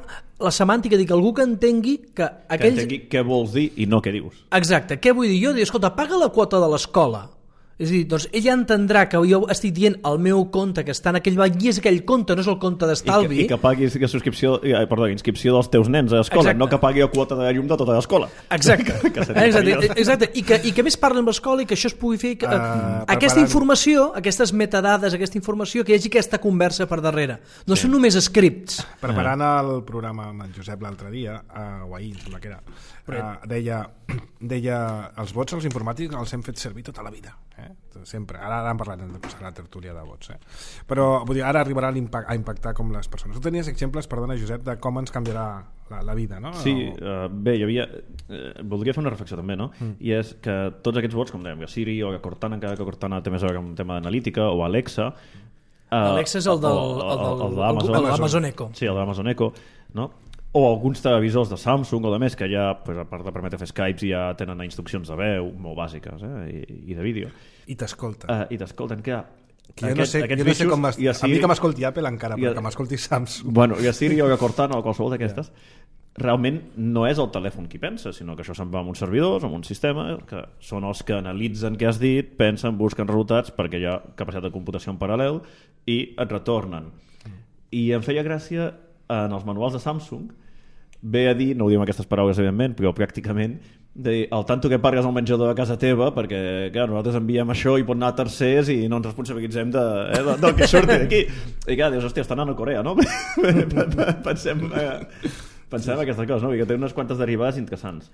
[SPEAKER 2] la semàntica dir que algú que entengui que aquells...
[SPEAKER 3] que entengui què vols dir i no què dius.
[SPEAKER 2] Exacte, què vull dir jo? Dir, escolta, paga la quota de l'escola. És a dir, doncs ella entendrà que jo estic dient el meu compte que està en aquell banc i és aquell compte, no és el compte d'estalvi.
[SPEAKER 3] I que, i que paguis la subscripció, eh, perdó, inscripció dels teus nens a l'escola, no que pagui la quota de llum de tota l'escola.
[SPEAKER 2] Exacte. que exacte, exacte. I, que, I que més parli amb l'escola i que això es pugui fer... Que, uh, aquesta informació, aquestes metadades, aquesta informació, que hi hagi aquesta conversa per darrere. No sí. són només scripts.
[SPEAKER 1] Preparant el programa amb en Josep l'altre dia, uh, o ahir, sembla que era, uh, deia, deia els vots als informàtics els hem fet servir tota la vida. Eh? Sempre, ara, ara hem parlat de posar la tertúlia de vots, eh? Però vull dir, ara arribarà a impactar, a impactar com les persones. Tu tenies exemples, perdona Josep, de com ens canviarà la, la vida, no?
[SPEAKER 3] Sí, uh, bé, hi havia uh, voldria fer una reflexió també, no? Mm. I és que tots aquests vots, com dèiem, Siri o Cortana, encara que Cortana té més a veure amb un tema d'analítica, o Alexa, uh,
[SPEAKER 2] Alexa és el del, el, el, el, el, el, el Amazon Echo.
[SPEAKER 3] Sí, el de l'Amazon Echo, no? O alguns televisors de Samsung o de més que ja, pues, a part de permetre fer Skypes, ja tenen instruccions de veu molt bàsiques, eh? I, i de vídeo.
[SPEAKER 1] I t'escolten.
[SPEAKER 3] Uh, I t'escolten, què?
[SPEAKER 1] Que jo no sé, jo no sé com a, a mi que m'escolti Apple encara, però a, que m'escolti Samsung.
[SPEAKER 3] Bueno, i a Siri o a Cortana o qualsevol d'aquestes, yeah. realment no és el telèfon qui pensa, sinó que això se'n va amb uns servidors, amb un sistema, que són els que analitzen què has dit, pensen, busquen resultats, perquè hi ha capacitat de computació en paral·lel, i et retornen. Mm. I em feia gràcia, en els manuals de Samsung, ve a dir, no ho diem aquestes paraules evidentment, però pràcticament de dir, al tanto que pargues al menjador de casa teva, perquè clar, nosaltres enviem això i pot anar a tercers i no ens responsabilitzem de, eh, de, del que surti d'aquí. I clar, dius, hòstia, està anant a Corea, no? pensem eh, pensem sí. aquestes coses, no? I que té unes quantes derivades interessants.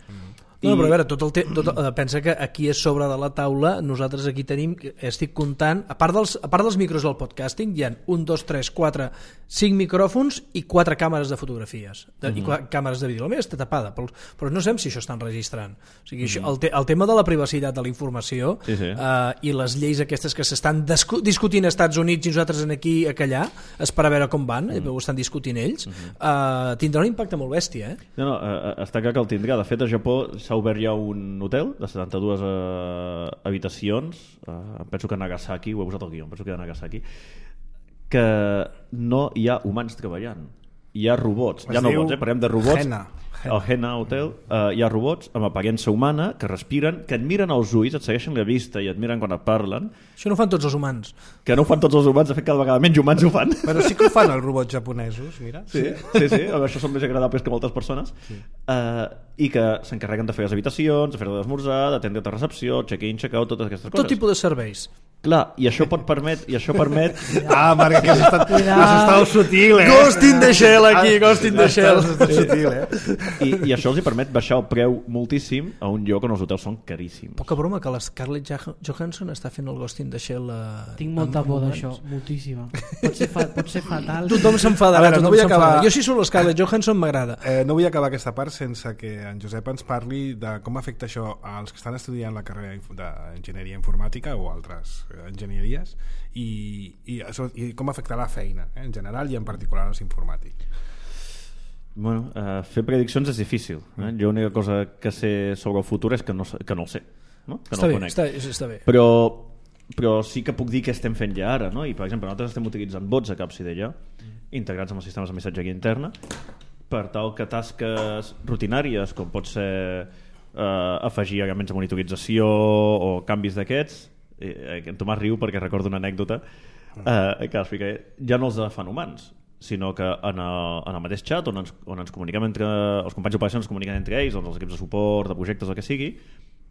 [SPEAKER 2] No, però a veure, tot el te tot, eh, pensa que aquí és sobre de la taula, nosaltres aquí tenim, estic comptant, a part dels, a part dels micros del podcasting, hi ha un, dos, tres, quatre, cinc micròfons i quatre càmeres de fotografies, de, mm -hmm. i càmeres de vídeo. La meva està tapada, però, però no sabem si això estan registrant. O sigui, mm -hmm. això, el, te el tema de la privacitat de la informació
[SPEAKER 3] sí, sí.
[SPEAKER 2] Eh, i les lleis aquestes que s'estan discutint als Estats Units i nosaltres aquí a callar, és per a veure com van, mm -hmm. ho estan discutint ells, mm -hmm. eh, tindrà un impacte molt bèstia. Eh?
[SPEAKER 3] No, no, eh, està clar que el tindrà. De fet, a Japó s'ha obert ja un hotel de setanta-dues eh, habitacions, eh, penso que a Nagasaki, ho he posat al guió, penso que a Nagasaki, que no hi ha humans treballant, hi ha robots,
[SPEAKER 1] Es
[SPEAKER 3] ja no
[SPEAKER 1] diu
[SPEAKER 3] bots, eh? Parlem de robots.
[SPEAKER 1] Hena.
[SPEAKER 3] Al Hena Hotel eh, hi ha robots amb aparença humana que respiren, que et miren als ulls, et segueixen la vista i et miren quan et parlen.
[SPEAKER 2] Això no ho fan tots els humans.
[SPEAKER 3] Que no ho fan tots els humans, de fet cada vegada menys humans ho fan.
[SPEAKER 1] Però sí que ho fan els robots japonesos, mira.
[SPEAKER 3] Sí, sí, sí, això són més agradables que moltes persones. Sí. Uh, I que s'encarreguen de fer les habitacions, de fer l'esmorzar, d'atendre la recepció, check-in, check-out, totes aquestes coses.
[SPEAKER 2] Tot tipus de serveis.
[SPEAKER 3] Clar, i això pot permet, i això permet...
[SPEAKER 1] Ah, Marc, que has estat, has estat sutil, eh?
[SPEAKER 2] Ghost in the Shell aquí, Ghost in the Shell.
[SPEAKER 1] Has estat sutil, eh?
[SPEAKER 3] I, I això els hi permet baixar el preu moltíssim a un lloc on els hotels són caríssims.
[SPEAKER 2] Poca broma que la Scarlett Johansson està fent el Ghost in the Shell. Uh,
[SPEAKER 5] Tinc molta por d'això, moltíssima. Pot ser, fa, pot ser fatal.
[SPEAKER 2] Tothom s'enfadarà,
[SPEAKER 1] A veure,
[SPEAKER 2] tothom
[SPEAKER 1] no vull
[SPEAKER 2] s'enfadarà.
[SPEAKER 1] acabar-
[SPEAKER 2] Jo si surt la Scarlett Johansson m'agrada.
[SPEAKER 1] Eh, no vull acabar aquesta part sense que en Josep ens parli de com afecta això als que estan estudiant la carrera d'enginyeria informàtica o altres eh, enginyeries i, i, això- i com afectarà la feina, eh, en general i en particular als informàtics.
[SPEAKER 3] Bueno, uh, fer prediccions és difícil. Eh? Jo l'única cosa que sé sobre el futur és que no, que no el sé. No? Que
[SPEAKER 2] Està
[SPEAKER 3] no el
[SPEAKER 2] bé,
[SPEAKER 3] conec.
[SPEAKER 2] està, està bé.
[SPEAKER 3] Però, però sí que puc dir què estem fent ja ara, no? I per exemple nosaltres estem utilitzant bots a Capsidella integrats amb els sistemes de missatgeria interna per tal que tasques rutinàries com pot ser eh, afegir elements de monitorització o canvis d'aquests, eh, en Tomàs riu perquè recordo una anècdota eh, que explica, ja no els fan humans, sinó que en el, en el mateix xat on ens, on ens comuniquem entre els companys d'operacions, ens comuniquen entre ells, doncs els equips de suport, de projectes, el que sigui,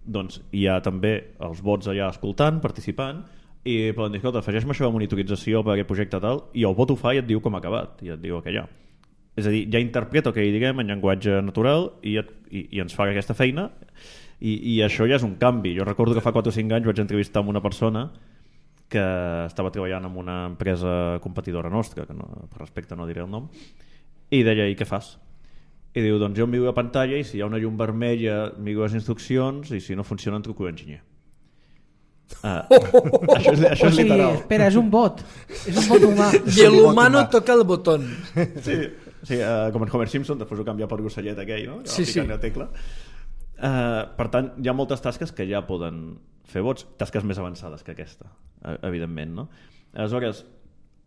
[SPEAKER 3] doncs hi ha també els bots allà escoltant, participant, i poden dir, escolta, afegeix-me això de monitorització per aquest projecte tal, i el bot ho fa i et diu com ha acabat, i et diu aquella. És a dir, ja interpreta el que hi diguem en llenguatge natural i, et, i, i ens fa aquesta feina, i, i això ja és un canvi. Jo recordo que fa quatre o cinc anys vaig entrevistar amb una persona que estava treballant en una empresa competidora nostra, que no, per respecte no diré el nom, i deia, i què fas? I diu, doncs jo em miro la pantalla i si hi ha una llum vermella miro les instruccions i si no funciona en truco l'enginyer. Ah, això és, això
[SPEAKER 5] O
[SPEAKER 3] és
[SPEAKER 5] sigui,
[SPEAKER 3] literal.
[SPEAKER 5] espera, és un bot. És un bot humà.
[SPEAKER 2] I el humano toca el botón.
[SPEAKER 3] Sí, sí uh, com en Homer Simpson, després ho canvia per l'ocellet aquell, no?
[SPEAKER 2] Sí, sí.
[SPEAKER 3] La tecla. Uh, per tant, hi ha moltes tasques que ja poden fer bots, tasques més avançades que aquesta, evidentment, no? Aleshores,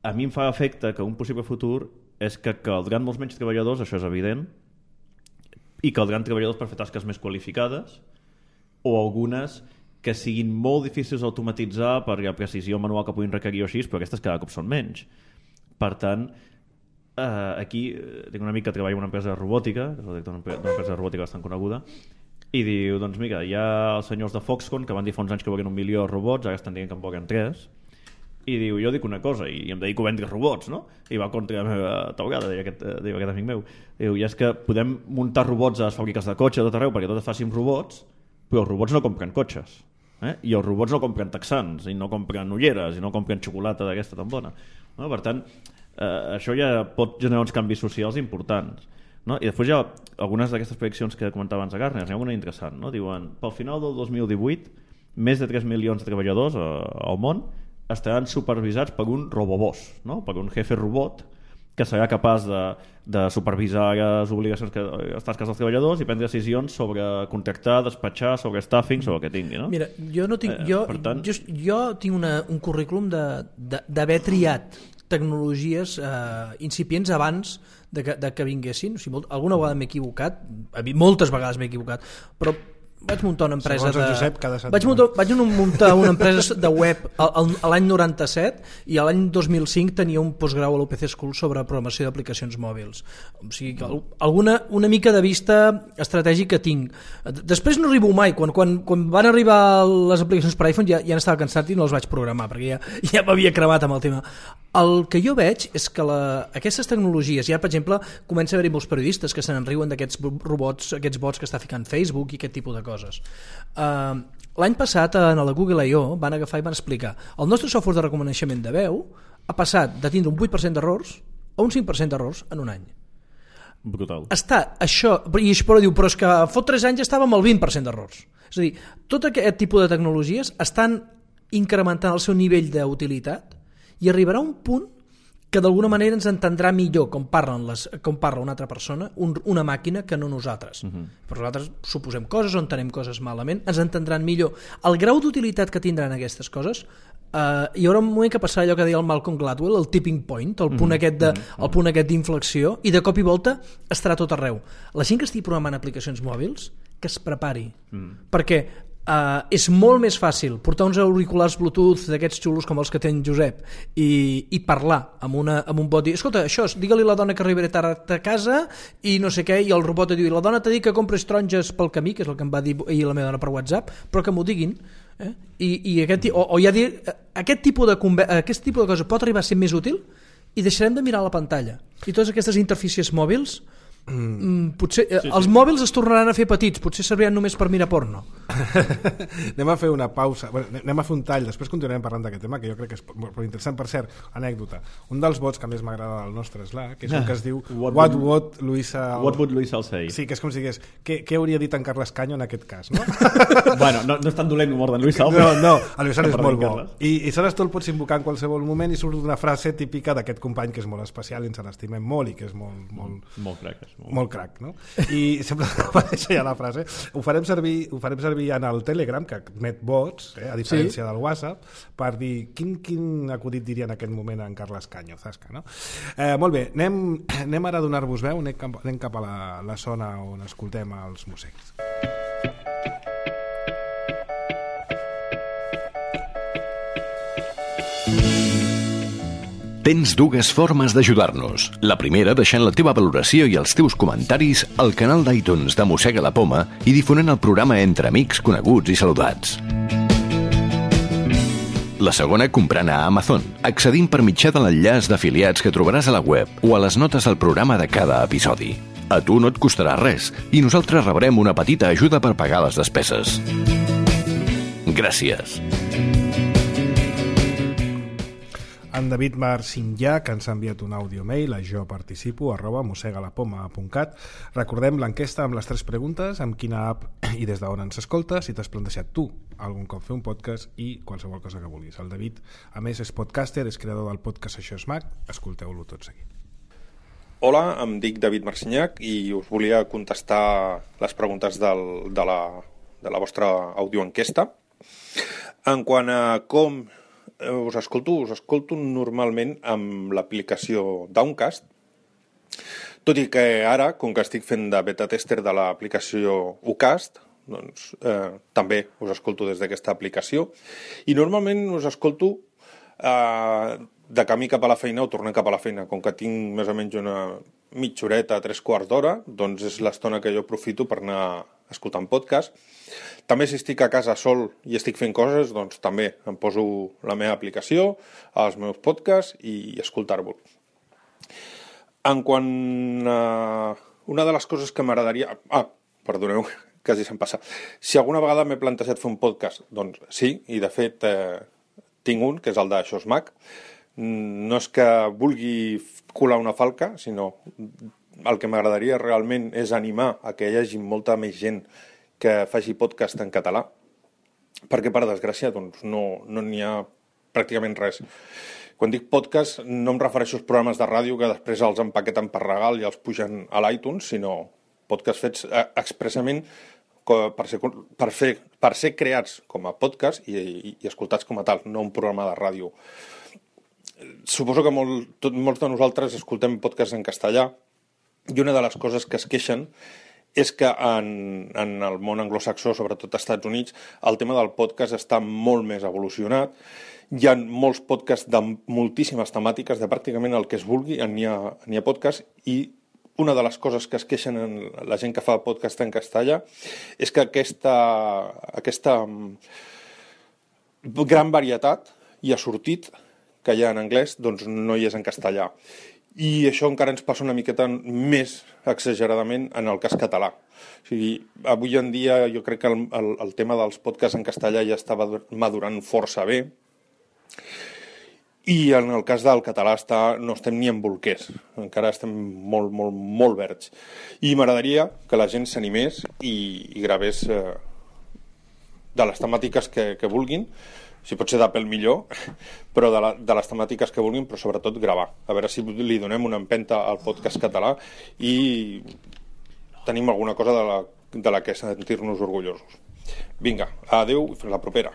[SPEAKER 3] a mi em fa efecte que un possible futur és que caldran molts menys treballadors, això és evident, i caldran treballadors per fer tasques més qualificades o algunes que siguin molt difícils d'automatitzar per la precisió manual que puguin requerir o així, però aquestes cada cop són menys. Per tant, eh, aquí eh, tinc un amic que treballa en una empresa de robòtica, que és el director d'una empresa de robòtica bastant coneguda, i diu, doncs mira, hi ha els senyors de Foxconn que van dir fa uns anys que volien un milió de robots, ara estan dient que en volen tres, i diu, jo dic una cosa i em dedico a vendre robots, no? I va contra la meva taulada, deia aquest, deia aquest amic meu. Diu, i és que podem muntar robots a les fàbriques de cotxe tot arreu perquè tot es faci amb robots, però els robots no compren cotxes. Eh? I els robots no compren texans, i no compren ulleres, i no compren xocolata d'aquesta tan bona. No? Per tant, eh, això ja pot generar uns canvis socials importants. No? I després hi ha algunes d'aquestes prediccions que comentava abans a Gartner, n'hi ha una interessant. No? Diuen, pel final del dos mil divuit, més de tres milions de treballadors eh, al món estaran supervisats per un robobòs, no? Per un jefe robot que serà capaç de, de supervisar les obligacions, que, les tasques dels treballadors i prendre decisions sobre contractar, despatxar, sobre staffing, sobre el que tingui. No?
[SPEAKER 2] Mira, jo no tinc,
[SPEAKER 3] Eh,
[SPEAKER 2] jo,
[SPEAKER 3] per tant-
[SPEAKER 2] jo, jo tinc una, un currículum de- de- d'haver triat tecnologies eh, incipients abans de que, de que vinguessin. O sigui, molt, alguna vegada m'he equivocat, moltes vegades m'he equivocat, però vaig muntar una empresa
[SPEAKER 1] Segons el
[SPEAKER 2] de...
[SPEAKER 1] Josep, cada setmana.
[SPEAKER 2] Vaig muntar, vaig muntar una empresa de web a, a l'any noranta-set i a l'any dos mil cinc tenia un postgrau a l'U P C School sobre programació d'aplicacions mòbils. O sigui que alguna, una mica de vista estratègica tinc. Després no arribo mai. Quan, quan, quan van arribar les aplicacions per iPhone ja, ja n'estava cansat i no les vaig programar perquè ja, ja m'havia cremat amb el tema. El que jo veig és que la, aquestes tecnologies, ja per exemple comença a haver-hi molts periodistes que se n'enriuen d'aquests robots, aquests bots que està ficant Facebook i aquest tipus de coses. Uh, l'any passat a la Google I O van agafar i van explicar el nostre software de reconeixement de veu ha passat de tindre un vuit per cent d'errors a un cinc per cent d'errors en un any.
[SPEAKER 3] Brutal.
[SPEAKER 2] Està això, i això però diu, però és que fot tres anys estàvem al vint per cent d'errors. És a dir, tot aquest tipus de tecnologies estan incrementant el seu nivell d'utilitat i arribarà un punt que d'alguna manera ens entendrà millor com, parlen les, com parla una altra persona, un, una màquina, que no nosaltres. Uh-huh. Però nosaltres suposem coses o entenem coses malament, ens entendran millor. El grau d'utilitat que tindran aquestes coses, eh, hi haurà un moment que passarà allò que deia el Malcolm Gladwell, el tipping point, el punt uh-huh. aquest de, el punt aquest d'inflexió, i de cop i volta estarà tot arreu. La gent que estigui programant aplicacions mòbils, que es prepari, uh-huh. perquè Uh, és molt més fàcil portar uns auriculars Bluetooth d'aquests xulos com els que té en Josep i, i parlar amb, una, amb un bot, dir, escolta, això, digue-li a la dona que arribaré tard a casa i no sé què, i el robot et diu, la dona t'ha dit que compres taronges pel camí, que és el que em va dir ahir la meva dona per WhatsApp, però que m'ho diguin, eh? I, i aquest, o, o ja dir, aquest tipus, de, aquest tipus de cosa pot arribar a ser més útil i deixarem de mirar la pantalla i totes aquestes interfícies mòbils Mm, potser, sí, sí. Els mòbils es tornaran a fer petits, potser serviran només per mirar porno.
[SPEAKER 1] Anem a fer una pausa, bueno, anem a fer un tall, després continuarem parlant d'aquest tema que jo crec que és molt interessant. Per cert, anècdota, un dels vots que més m'agrada del nostre Slack, que és un que es diu What, what, would, Luisa al...
[SPEAKER 3] what would Luisa say?
[SPEAKER 1] Sí, que és com si digués què, què hauria dit en Carles Canyo en aquest cas, no?
[SPEAKER 3] Bueno, no, no és tan dolent l'humor d'en Luisa.
[SPEAKER 1] No, no, el Luisa és molt bo i, i saps, tu el pots invocar en qualsevol moment i surt una frase típica d'aquest company que és molt especial i ens l'estimem molt i que és molt molt,
[SPEAKER 3] molt crac, és molt...
[SPEAKER 1] molt crac, no? I sempre apareix ja la frase. Ho farem servir, ho farem servir en el Telegram, que emet bots, eh, a diferència sí. del WhatsApp, per dir quin, quin acudit diria en aquest moment en Carles Canyo, Zasca, no? Eh, molt bé, anem, anem ara a donar-vos veu, anem cap, anem cap a la, la zona on escoltem els músics.
[SPEAKER 4] Tens dues formes d'ajudar-nos. La primera, deixant la teva valoració i els teus comentaris al canal d'iTunes de Mossega la Poma i difonent el programa entre amics, coneguts i saludats. La segona, comprant a Amazon, accedint per mitjà de l'enllaç d'afiliats que trobaràs a la web o a les notes del programa de cada episodi. A tu no et costarà res i nosaltres rebrem una petita ajuda per pagar les despeses. Gràcies.
[SPEAKER 1] En David Marcinjà, que ens ha enviat un àudio mail a jo participo arroba mossegalapoma punt cat. Recordem l'enquesta amb les tres preguntes: amb quina app i des d'on ens escoltes, si t'has plantejat tu algun cop fer un podcast i qualsevol cosa que vulguis. El David, a més, és podcaster, és creador del podcast Això és Mac. Escolteu-lo tot seguit.
[SPEAKER 7] Hola, em dic David Marcinyac i us volia contestar les preguntes del, de, la, de la vostra audioenquesta. En quant a com us escolto, us escolto normalment amb l'aplicació Downcast, tot i que ara, com que estic fent de beta tester de l'aplicació Ucast, doncs eh, també us escolto des d'aquesta aplicació, i normalment us escolto eh, de camí cap a la feina o tornant cap a la feina. Com que tinc més o menys una mitja horeta, tres quarts d'hora, doncs és l'estona que jo aprofito per anar escoltant podcast. També si estic a casa sol i estic fent coses, doncs també em poso la meva aplicació, els meus podcasts i escoltar-vos. En quant a una de les coses que m'agradaria... Ah, perdoneu, quasi se'm passa. Si alguna vegada m'he plantejat fer un podcast, doncs sí, i de fet eh, tinc un, que és el de Això és Mac. No és que vulgui colar una falca, sinó el que m'agradaria realment és animar a que hi hagi molta més gent que faci podcast en català, perquè per desgràcia doncs, no no n'hi ha pràcticament res. Quan dic podcast no em refereixo als programes de ràdio que després els empaqueten per regal i els pugen a l'iTunes, sinó podcasts fets expressament per ser, per fer, per ser creats com a podcast i, i, i escoltats com a tal, no un programa de ràdio. Suposo que molt, tot, molts de nosaltres escoltem podcasts en castellà i una de les coses que es queixen és que en, en el món anglosaxó, sobretot als Estats Units, el tema del podcast està molt més evolucionat. Hi ha molts podcasts de moltíssimes temàtiques, de pràcticament el que es vulgui, n'hi ha, n'hi ha podcasts, i una de les coses que es queixen en la gent que fa podcast en castellà és que aquesta, aquesta gran varietat i assortit que hi ha en anglès doncs no hi és en castellà. I això encara ens passa una miqueta més exageradament en el cas català. O sigui, avui en dia jo crec que el, el, el tema dels podcasts en castellà ja estava madurant força bé, i en el cas del català està, no estem ni en bolquers, encara estem molt, molt, molt verds. I m'agradaria que la gent s'animés i, i gravés eh, de les temàtiques que, que vulguin, si pot ser d'Apple millor, però de, la, de les temàtiques que vulguin, però sobretot gravar. A veure si li donem una empenta al podcast català i tenim alguna cosa de la, de la que sentir-nos orgullosos. Vinga, adeu i fins la propera.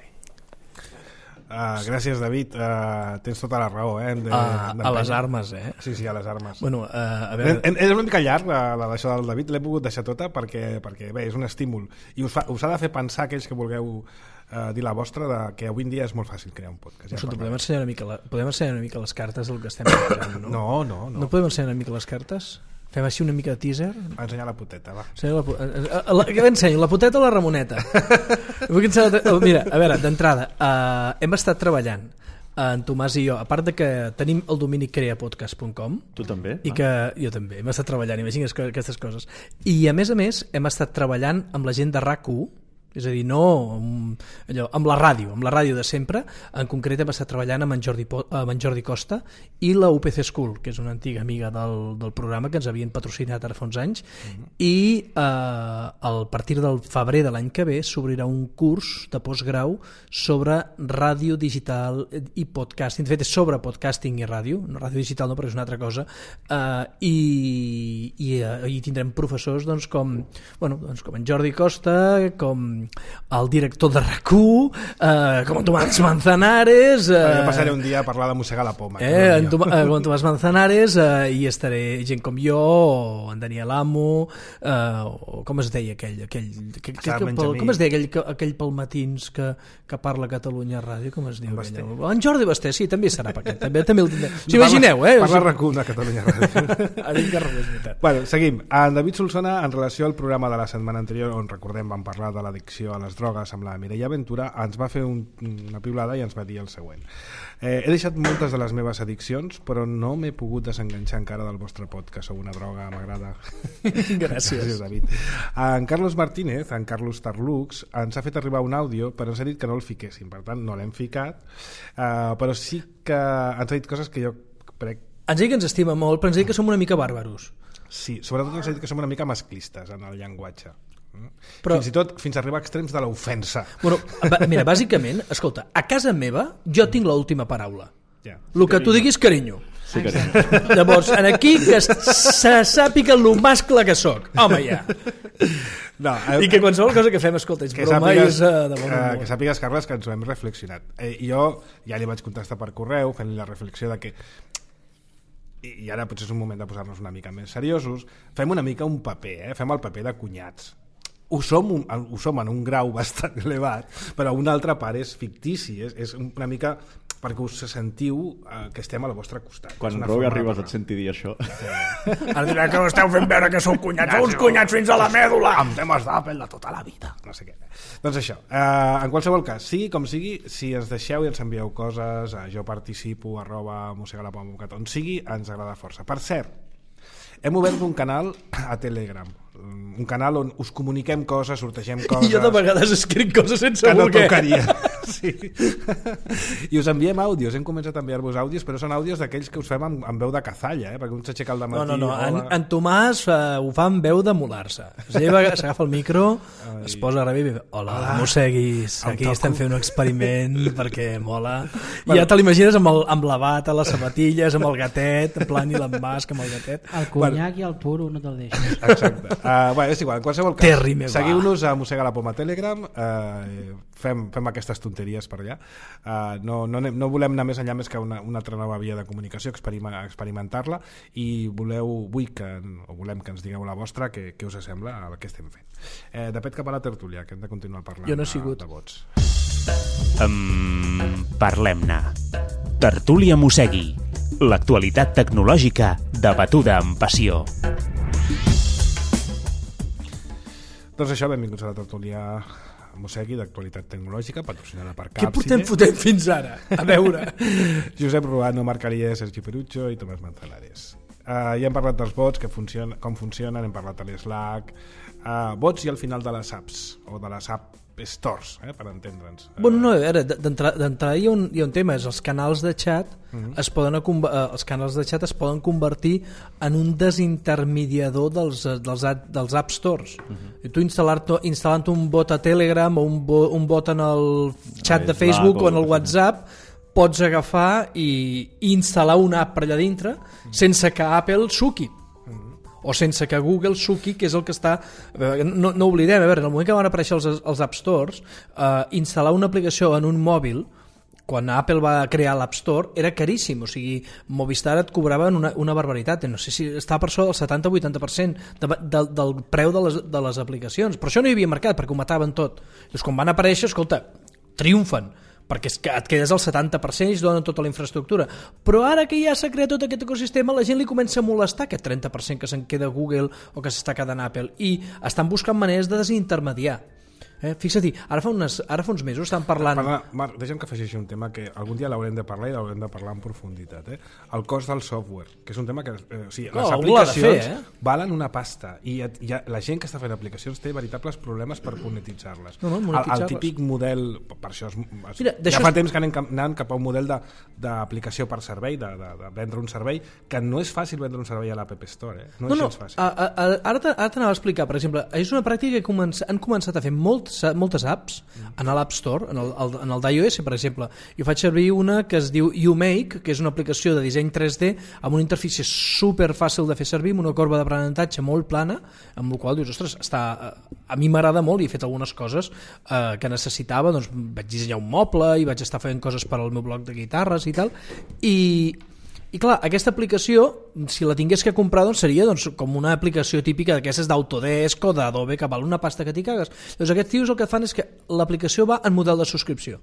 [SPEAKER 1] Uh, gràcies, David. Uh, tens tota la raó, eh? De,
[SPEAKER 2] uh, a les armes, eh?
[SPEAKER 1] Sí, sí, a les armes.
[SPEAKER 2] Bueno, uh, a veure...
[SPEAKER 1] És una mica llarg, la, la d'això del David. L'he pogut deixar tota perquè, perquè bé, és un estímul. I us, fa, us ha de fer pensar aquells que vulgueu uh, dir la vostra, de que avui en dia és molt fàcil crear un podcast. Ja
[SPEAKER 2] Escolta, podem ensenyar, una mica la, podem ensenyar una mica les cartes del que estem parlant, no?
[SPEAKER 1] No, no, no.
[SPEAKER 2] No podem ensenyar una mica les cartes? Fem així una mica de teaser?
[SPEAKER 1] Va ensenyar la puteta, va.
[SPEAKER 2] La, la, què ensenyo? La puteta o la Ramoneta? Mira, a veure, d'entrada, uh, hem estat treballant, en Tomàs i jo, a part de que tenim el domini creapodcast punt com.
[SPEAKER 3] Tu també?
[SPEAKER 2] I que jo també, hem estat treballant, imagina't aquestes coses. I a més a més, hem estat treballant amb la gent de R A C u, és a dir, no amb, allò, amb la ràdio, amb la ràdio de sempre. En concret hem estat treballant amb en Jordi, amb en Jordi Costa i la U P C School, que és una antiga amiga del, del programa que ens havien patrocinat ara fa uns anys, mm-hmm. i eh, a partir del febrer de l'any que ve s'obrirà un curs de postgrau sobre ràdio digital i podcasting. De fet, és sobre podcasting i ràdio, no ràdio digital no, però és una altra cosa, eh, i, i, eh, i tindrem professors doncs, com, bueno, doncs, com en Jordi Costa, com el director de R A C u, eh, com en Tomàs Manzanares, eh,
[SPEAKER 1] jo passaré un dia a parlar de mossegar la poma,
[SPEAKER 2] eh, en Tom, eh, com en Tomàs Manzanares, eh, i estaré gent com jo, o en Daniel Amo, eh, o com es deia aquell, aquell que, que, que, pel, com es deia aquell, aquell pel matins que, que parla a Catalunya Ràdio, com es diu aquell? En Jordi Basté, sí, també serà per aquest, també, també el tindrem. Si imagineu, eh?
[SPEAKER 1] Parla R A C u a Catalunya Ràdio.
[SPEAKER 2] Ara que és veritat.
[SPEAKER 1] Bueno, seguim. En David Solsona, en relació al programa de la setmana anterior, on recordem vam parlar de l'addicció a les drogues amb la Mireia Ventura, ens va fer un, una piulada i ens va dir el següent. Eh, he deixat moltes de les meves addiccions, però no m'he pogut desenganxar encara del vostre podcast. Sou una droga, m'agrada.
[SPEAKER 2] Gràcies.
[SPEAKER 1] Gràcies, David. En Carlos Martínez, en Carlos Tarlux, ens ha fet arribar un àudio, però ens ha dit que no el fiquéssim. Per tant, no l'hem ficat, eh, però sí que ens ha dit coses que jo crec...
[SPEAKER 2] Ens ha dit que ens estima molt, però ens ha dit que som una mica bàrbaros.
[SPEAKER 1] Sí, sobretot ens ha dit que som una mica masclistes en el llenguatge. Però, fins i tot fins a arribar a extrems de l'ofensa.
[SPEAKER 2] Bueno, mira, bàsicament, escolta, a casa meva jo tinc l'última paraula.
[SPEAKER 1] Yeah.
[SPEAKER 2] El que tu diguis, carinyo.
[SPEAKER 3] Sí, carinyo.
[SPEAKER 2] Llavors, en aquí que se sàpiga lo mascle que soc. Home, ja. No, eh, I que qualsevol cosa que fem, escolta, és broma i és uh, de bon humor.
[SPEAKER 1] Eh, que sàpigues, Carles, que ens ho hem reflexionat. Eh, jo ja li vaig contestar per correu fent-li la reflexió de que i ara potser és un moment de posar-nos una mica més seriosos, fem una mica un paper, eh? Fem el paper de cunyats. Ho som, un, ho som en un grau bastant elevat, però una altra part és fictici, és, és una mica perquè us sentiu eh, que estem al vostre costat.
[SPEAKER 3] Quan Roy arribes et senti dir això.
[SPEAKER 2] Sí. Ara dirà que esteu fent veure que sou cunyats, sou uns cunyats fins a la mèdula.
[SPEAKER 1] Amb temes d'Apple de tota la vida. No sé què. Doncs això, eh, en qualsevol cas, sigui com sigui, si ens deixeu i ens envieu coses, eh, jo participo, arroba mossegalapoma punt cat, on sigui, ens agrada força. Per cert, hem obert un canal a Telegram, un canal on us comuniquem coses, sortegem coses...
[SPEAKER 2] I jo de vegades escric coses sense
[SPEAKER 1] que no
[SPEAKER 2] voler.
[SPEAKER 1] Tocaria. Sí. I us enviem àudios, hem començat a enviar-vos àudios, però són àudios d'aquells que us fem amb, amb veu de cazalla, eh? Perquè un s'aixeca al dematí...
[SPEAKER 2] No, no, no, en, en Tomàs uh, ho fa amb veu de molar-se. S'agafa el micro, Ai. es posa a rebre i diu, hola, hola, mosseguis, aquí toco. Estem fent un experiment perquè mola. Bueno. I ja te l'imagines amb, el, amb la bata, les sabatilles, amb el gatet, en plan Elon Musk amb el gatet.
[SPEAKER 5] El conyac bueno. I el puro no te'l deixes.
[SPEAKER 1] Exacte. Uh, bueno, és igual, en qualsevol cas,
[SPEAKER 2] Terri me va.
[SPEAKER 1] seguiu-nos a Mossega la Poma Telegram, uh, fem, fem aquestes tonteries per allà. Uh, no, no, anem, no volem anar més enllà més que una, una altra nova via de comunicació, experima, experimentar-la, i voleu, vull que, o volem que ens digueu la vostra, què, què us sembla el que estem fent. Eh, de pet cap a la tertúlia, que hem de continuar parlant
[SPEAKER 2] Jo no he sigut.
[SPEAKER 1] de, de vots.
[SPEAKER 8] Um, Parlem-ne. Tertúlia Mossegui. L'actualitat tecnològica debatuda amb passió.
[SPEAKER 1] Doncs això, benvinguts a la tertúlia Mossegui d'actualitat tecnològica, patrocinada per
[SPEAKER 2] Què
[SPEAKER 1] Capside.
[SPEAKER 2] portem fotent fins ara? A veure.
[SPEAKER 1] Josep Ruano, Marc Alier, Sergi Perucho i Tomàs Manzanares. Uh, ja hem parlat dels bots, que funciona, com funcionen, hem parlat de l'Slack, uh, bots i al final de les apps, o de les app stores, eh, per entendre'ns. Uh,
[SPEAKER 2] Bueno, no, a veure, d'entrada hi, ha un, hi ha un tema, és els canals de xat
[SPEAKER 1] Mhm.
[SPEAKER 2] es poden, eh, els canals de xat es poden convertir en un desintermediador dels, eh, dels, ad- dels app stores.
[SPEAKER 1] Mhm.
[SPEAKER 2] I tu instal·lant, instal·lant un bot a Telegram o un, bo, un bot en el xat de
[SPEAKER 3] Slack
[SPEAKER 2] Facebook
[SPEAKER 3] o
[SPEAKER 2] o en el
[SPEAKER 3] el que
[SPEAKER 2] WhatsApp, pots agafar i, i instal·lar una app per allà dintre sense que Apple suqui o sense que Google suqui, que és el que està... No, no oblidem, a veure, en el moment que van aparèixer els, els App Stores, eh, instal·lar una aplicació en un mòbil, quan Apple va crear l'App Store, era caríssim, o sigui, Movistar et cobraven una, una barbaritat, no sé si estava per sobre del setanta o vuitanta per cent de, de, del preu de les, de les aplicacions, però això no hi havia mercat, perquè ho mataven tot. Llavors, quan van aparèixer, escolta, triomfen, perquè és que et quedes al setanta per cent i es donen tota la infraestructura. Però ara que ja s'ha creat tot aquest ecosistema, la gent li comença a molestar aquest trenta per cent que se'n queda Google o que s'està quedant Apple, i estan buscant maneres de desintermediar. Eh? Fixa't, ara fa, unes, ara fa uns mesos estan parlant...
[SPEAKER 1] Parla, Marc, deixa'm que afegeixi un tema que algun dia l'haurem de parlar i l'haurem de parlar en profunditat. Eh? El cost del software, que és un tema que... Eh, o sigui,
[SPEAKER 2] No,
[SPEAKER 1] les
[SPEAKER 2] algú l'ha de
[SPEAKER 1] aplicacions
[SPEAKER 2] fer, eh?
[SPEAKER 1] valen una pasta i et, ja, la gent que està fent aplicacions té veritables problemes per monetitzar-les.
[SPEAKER 2] No, no,
[SPEAKER 1] el,
[SPEAKER 2] monetitzar-les.
[SPEAKER 1] el típic model, per això es, es,
[SPEAKER 2] Mira, d'això
[SPEAKER 1] ja fa
[SPEAKER 2] és-
[SPEAKER 1] temps que anem, cap- anant cap a un model de- d'aplicació per servei, de, de, de vendre un servei, que no és fàcil vendre un servei a l'App Store. Eh? No,
[SPEAKER 2] No,
[SPEAKER 1] és
[SPEAKER 2] no,
[SPEAKER 1] gens fàcil.
[SPEAKER 2] a, a, a, ara te- ara t'anava a explicar, per exemple, és una pràctica que comença, han començat a fer molts, moltes apps en l'App Store, en el, el, en el d'iOS, per exemple. Jo faig servir una que es diu YouMake, que és una aplicació de disseny tres D amb una interfície super fàcil de fer servir, amb una corba d'aprenentatge molt plana, amb la qual dius, ostres, està, a mi m'agrada molt i he fet algunes coses eh, que necessitava, doncs vaig dissenyar un moble i vaig estar fent coses per al meu blog de guitarres i tal, i I clar, aquesta aplicació, si la tingués que comprar, doncs seria doncs, com una aplicació típica d'aquestes d'Autodesk o d'Adobe, que val una pasta que t'hi cagues. Llavors aquests tios el que fan és que l'aplicació va en model de subscripció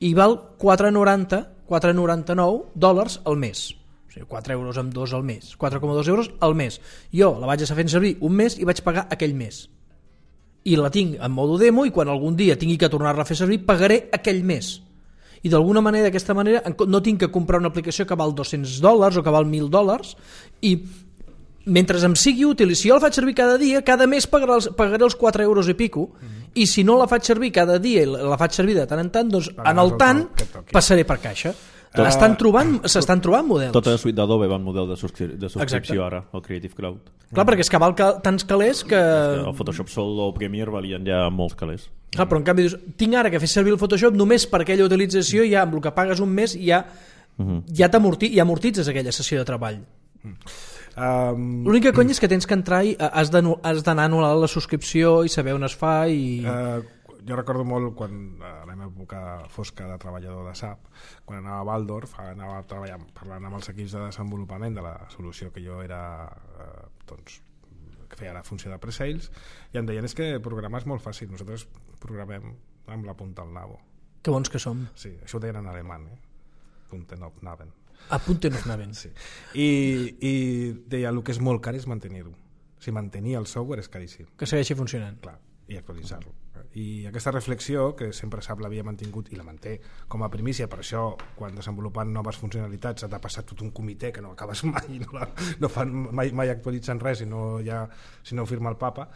[SPEAKER 2] i val quatre noranta, quatre noranta-nou dòlars al mes. O sigui, quatre euros amb dos al mes, quatre coma dos euros al mes. Jo la vaig estar fent servir un mes i vaig pagar aquell mes. I la tinc en modo demo i quan algun dia tingui que tornar-la a fer servir, pagaré aquell mes. I d'alguna manera, d'aquesta manera, no tinc que comprar una aplicació que val dos-cents dòlars o que val mil dòlars, i mentre em sigui útil, i si jo la faig servir cada dia, cada mes pagaré els, pagaré els quatre euros i pico, mm-hmm. i si no la faig servir cada dia i la faig servir de tant en tant, doncs
[SPEAKER 1] Pagaràs
[SPEAKER 2] en el
[SPEAKER 1] el
[SPEAKER 2] tant
[SPEAKER 1] que et toqui.
[SPEAKER 2] passaré per caixa. Estan trobant, s'estan trobant models.
[SPEAKER 3] Tota la suite d'Adobe va en model de, subscri de subscripció
[SPEAKER 2] Exacte.
[SPEAKER 3] ara, el Creative Cloud.
[SPEAKER 2] Clar, perquè és que val ca- tants calés que...
[SPEAKER 3] El Photoshop Sol o Premiere valien ja molts calés.
[SPEAKER 2] Clar, però en canvi dius, tinc ara que fer servir el Photoshop només per aquella utilització, ja amb el que pagues un mes ja,
[SPEAKER 3] Mhm.
[SPEAKER 2] ja, t'amorti- ja amortitzes aquella sessió de treball.
[SPEAKER 1] Um,
[SPEAKER 2] L'única conya és que tens que entrar i has d'anu- has d'anar a anul·lar la subscripció i saber on es fa i...
[SPEAKER 1] Uh, jo recordo molt quan a la meva època fosca de treballador de S A P, quan anava a Waldorf, anava a treballar parlant amb els equips de desenvolupament de la solució que jo era eh, doncs, que feia la funció de pre-sales, i em deien és que programar és molt fàcil, nosaltres programem amb la punta al nabo.
[SPEAKER 2] Que bons que som.
[SPEAKER 1] Sí, això ho deien en alemany, eh? Punten auf Naven.
[SPEAKER 2] A punto no anaven.
[SPEAKER 1] Sí. I, i deia, el que és molt car és mantenir-ho. O sigui, mantenir el software és caríssim.
[SPEAKER 2] Que segueixi funcionant.
[SPEAKER 1] Clar, i actualitzar-lo. I aquesta reflexió, que sempre S A P l'havia mantingut i la manté com a primícia, per això quan desenvolupant noves funcionalitats s'ha de passar tot un comitè que no acabes mai, no, la, no fan mai, mai actualitzen res si no, ja, si no ho firma el papa,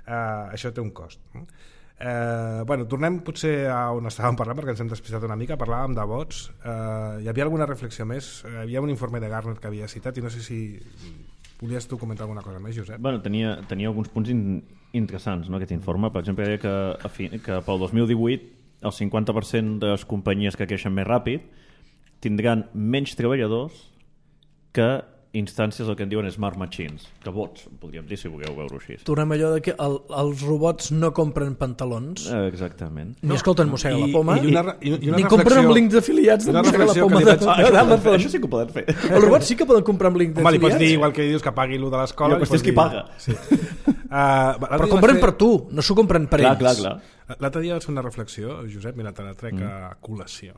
[SPEAKER 1] eh, això té un cost. Eh, bueno, tornem potser a on estàvem parlant, perquè ens hem despistat una mica, parlàvem de bots. Eh, hi havia alguna reflexió més? Hi havia un informe de Gartner que havia citat i no sé si volies tu comentar alguna cosa més, Josep?
[SPEAKER 3] Bueno, tenia, tenia alguns punts in, interessants, no, aquest informe. Per exemple, deia que, a fi, que pel dos mil divuit el cinquanta per cent de les companyies que creixen més ràpid tindran menys treballadors que instàncies el que en diuen smart machines, que bots, podríem dir, si vulgueu veure-ho així.
[SPEAKER 2] Tornem allò de que el, els robots no compren pantalons,
[SPEAKER 3] Eh, exactament.
[SPEAKER 2] ni escolten Mossega la Poma,
[SPEAKER 1] I, i una, i, i una
[SPEAKER 2] ni compren amb
[SPEAKER 1] reflexió-
[SPEAKER 2] links afiliats de
[SPEAKER 1] una
[SPEAKER 2] Mossega la
[SPEAKER 1] reflexió
[SPEAKER 2] Poma
[SPEAKER 1] que li
[SPEAKER 2] de-
[SPEAKER 1] vaig-
[SPEAKER 3] Ah, això, ho poden fer,
[SPEAKER 2] d'Amazon.
[SPEAKER 3] això sí que ho poden fer.
[SPEAKER 2] Els robots sí que poden comprar amb links
[SPEAKER 1] Home, li pots
[SPEAKER 2] d'afiliats,
[SPEAKER 1] dir, igual que dius que pagui lo de l'escola...
[SPEAKER 3] I la
[SPEAKER 1] li
[SPEAKER 3] qüestió
[SPEAKER 1] pots
[SPEAKER 3] és qui
[SPEAKER 1] dir-
[SPEAKER 3] paga.
[SPEAKER 1] Sí. Uh,
[SPEAKER 2] però compren per tu, no s'ho compren per
[SPEAKER 3] Clar,
[SPEAKER 2] ells.
[SPEAKER 3] clar, clar.
[SPEAKER 1] L'altre dia vaig fer una reflexió, Josep, mira, te la trec mm. a col·lació.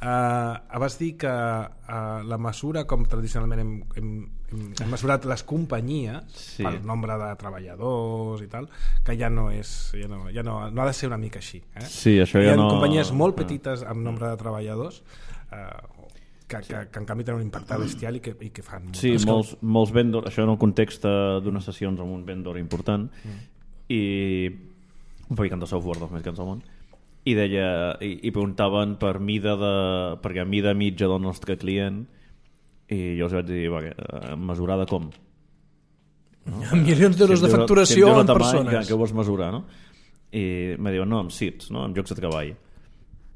[SPEAKER 1] Uh, vas dir que uh, la mesura, com tradicionalment hem, hem, hem, hem mesurat les companyies,
[SPEAKER 3] Sí.
[SPEAKER 1] pel nombre de treballadors i tal, que ja no és, ja no, ja no, no ha de ser una mica així. Eh?
[SPEAKER 3] Sí, això
[SPEAKER 1] Hi
[SPEAKER 3] ja
[SPEAKER 1] ha
[SPEAKER 3] no...
[SPEAKER 1] companyies molt petites amb nombre de treballadors uh, que, que, que en canvi tenen un impacte bestial i que, i que fan molt.
[SPEAKER 3] Sí, molts, molts vendors, això en el context d'unes sessions amb un vendor important mm. i un fabricant de software dels més grans del món, i deia, i, i preguntaven per mida de, perquè mida mitja del nostre client, i jo els vaig dir, va, eh, mesurada com? No?
[SPEAKER 2] Milions d'euros
[SPEAKER 3] Si em
[SPEAKER 2] de
[SPEAKER 3] dius-
[SPEAKER 2] facturació
[SPEAKER 3] si em dius
[SPEAKER 2] en
[SPEAKER 3] la tamany,
[SPEAKER 2] persones.
[SPEAKER 3] Que, que vols mesurar, no? I me diuen, no, amb seats, no? Amb llocs de treball.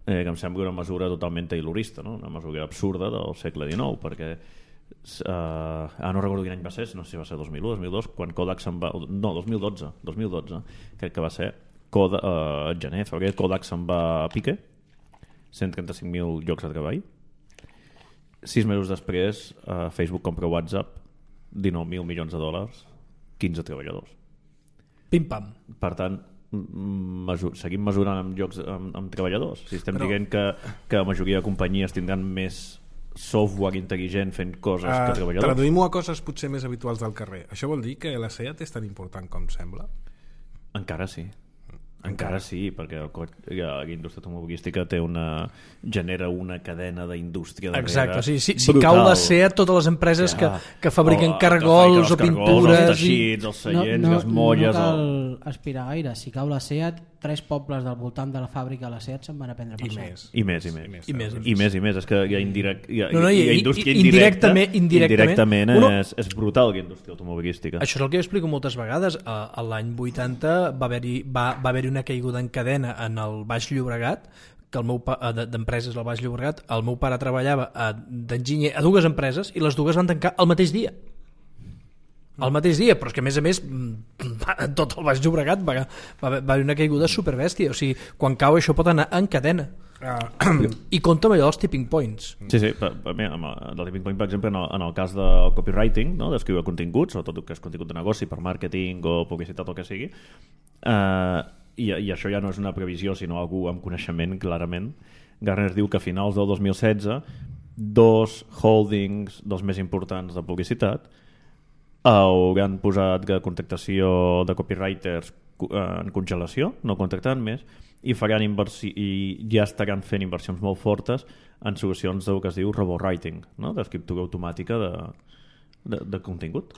[SPEAKER 3] Eh, que em sembla una mesura totalment taylorista, no? Una mesura absurda del segle dinou, perquè uh, ah, no recordo quin any va ser, no sé si va ser dos mil u, dos mil dos, quan Kodak se'n va... No, dos mil dotze, dos mil dotze crec que va ser, Kodak, uh, gener, febrer, Kodak se'n va a pique, cent trenta-cinc mil llocs de treball. Sis mesos després, uh, Facebook compra WhatsApp, dinou mil milions de dòlars, quinze treballadors.
[SPEAKER 2] Pim-pam.
[SPEAKER 3] Per tant, mesur, seguim mesurant amb llocs amb, amb treballadors. Si estem
[SPEAKER 1] Però...
[SPEAKER 3] dient que, que la majoria de companyies tindran més software intel·ligent fent coses
[SPEAKER 1] Uh,
[SPEAKER 3] que treballadors.
[SPEAKER 1] Traduïm-ho a coses potser més habituals del carrer. Això vol dir que la SEAT és tan important com sembla?
[SPEAKER 3] Encara sí. Encara sí, perquè el, co- la indústria automobilística té una, genera una cadena d'indústria darrere.
[SPEAKER 2] Exacte, sí, sí, si
[SPEAKER 3] brutal.
[SPEAKER 2] cau la SEAT, totes les empreses
[SPEAKER 3] Ja.
[SPEAKER 2] que, que fabriquen
[SPEAKER 3] O,
[SPEAKER 2] cargols
[SPEAKER 3] que
[SPEAKER 2] o
[SPEAKER 3] fabriquen els
[SPEAKER 2] pintures
[SPEAKER 3] cargols, els
[SPEAKER 2] i...
[SPEAKER 3] teixits, els
[SPEAKER 5] No,
[SPEAKER 3] seients,
[SPEAKER 5] no,
[SPEAKER 3] les molles...
[SPEAKER 5] no cal
[SPEAKER 3] el...
[SPEAKER 5] aspirar gaire. Si cau la SEAT, tres pobles del voltant de la fàbrica de la SEAT se'n van a prendre per
[SPEAKER 1] I
[SPEAKER 5] cert.
[SPEAKER 1] més.
[SPEAKER 3] I més, i més.
[SPEAKER 2] I més, i
[SPEAKER 3] I
[SPEAKER 2] més.
[SPEAKER 3] més, i més. És que hi ha, indirect, hi ha,
[SPEAKER 2] No, no,
[SPEAKER 3] hi
[SPEAKER 2] i-
[SPEAKER 3] ha
[SPEAKER 2] i-
[SPEAKER 3] indústria
[SPEAKER 2] i-
[SPEAKER 3] indirecta.
[SPEAKER 2] indirectament- indirectament.
[SPEAKER 3] Indirectament
[SPEAKER 2] Uno-
[SPEAKER 3] és, és brutal la indústria automobilística.
[SPEAKER 2] Això és el que jo explico moltes vegades. A, a l'any vuitanta va haver-hi va, va haver una caiguda en cadena en el Baix Llobregat, que el meu pa, de- d'empreses al Baix Llobregat. El meu pare treballava a- d'enginyer a dues empreses i les dues van tancar el mateix dia. El mateix dia, però és que a més a més mm, tot el Baix Llobregat va, va, va haver una caiguda superbèstia. O sigui, quan cau això pot anar en cadena.
[SPEAKER 1] Uh,
[SPEAKER 2] I compta amb allò dels tipping points.
[SPEAKER 3] Sí, sí, per, per, mira, amb el tipping point, per exemple, en el, en el cas del copywriting, no? D'escriure continguts, sobretot el que és contingut de negoci per màrqueting o publicitat o el que sigui, eh, i, i això ja no és una previsió, sinó algú amb coneixement, clarament. Gartner diu que a finals del dos mil setze dos holdings dels més importants de publicitat hauran posat la contractació de copywriters en congelació, no contractaran més, i faran inversi i ja estaran fent inversions molt fortes en solucions del que es diu robowriting, no? D'escriptura automàtica de, de, de contingut.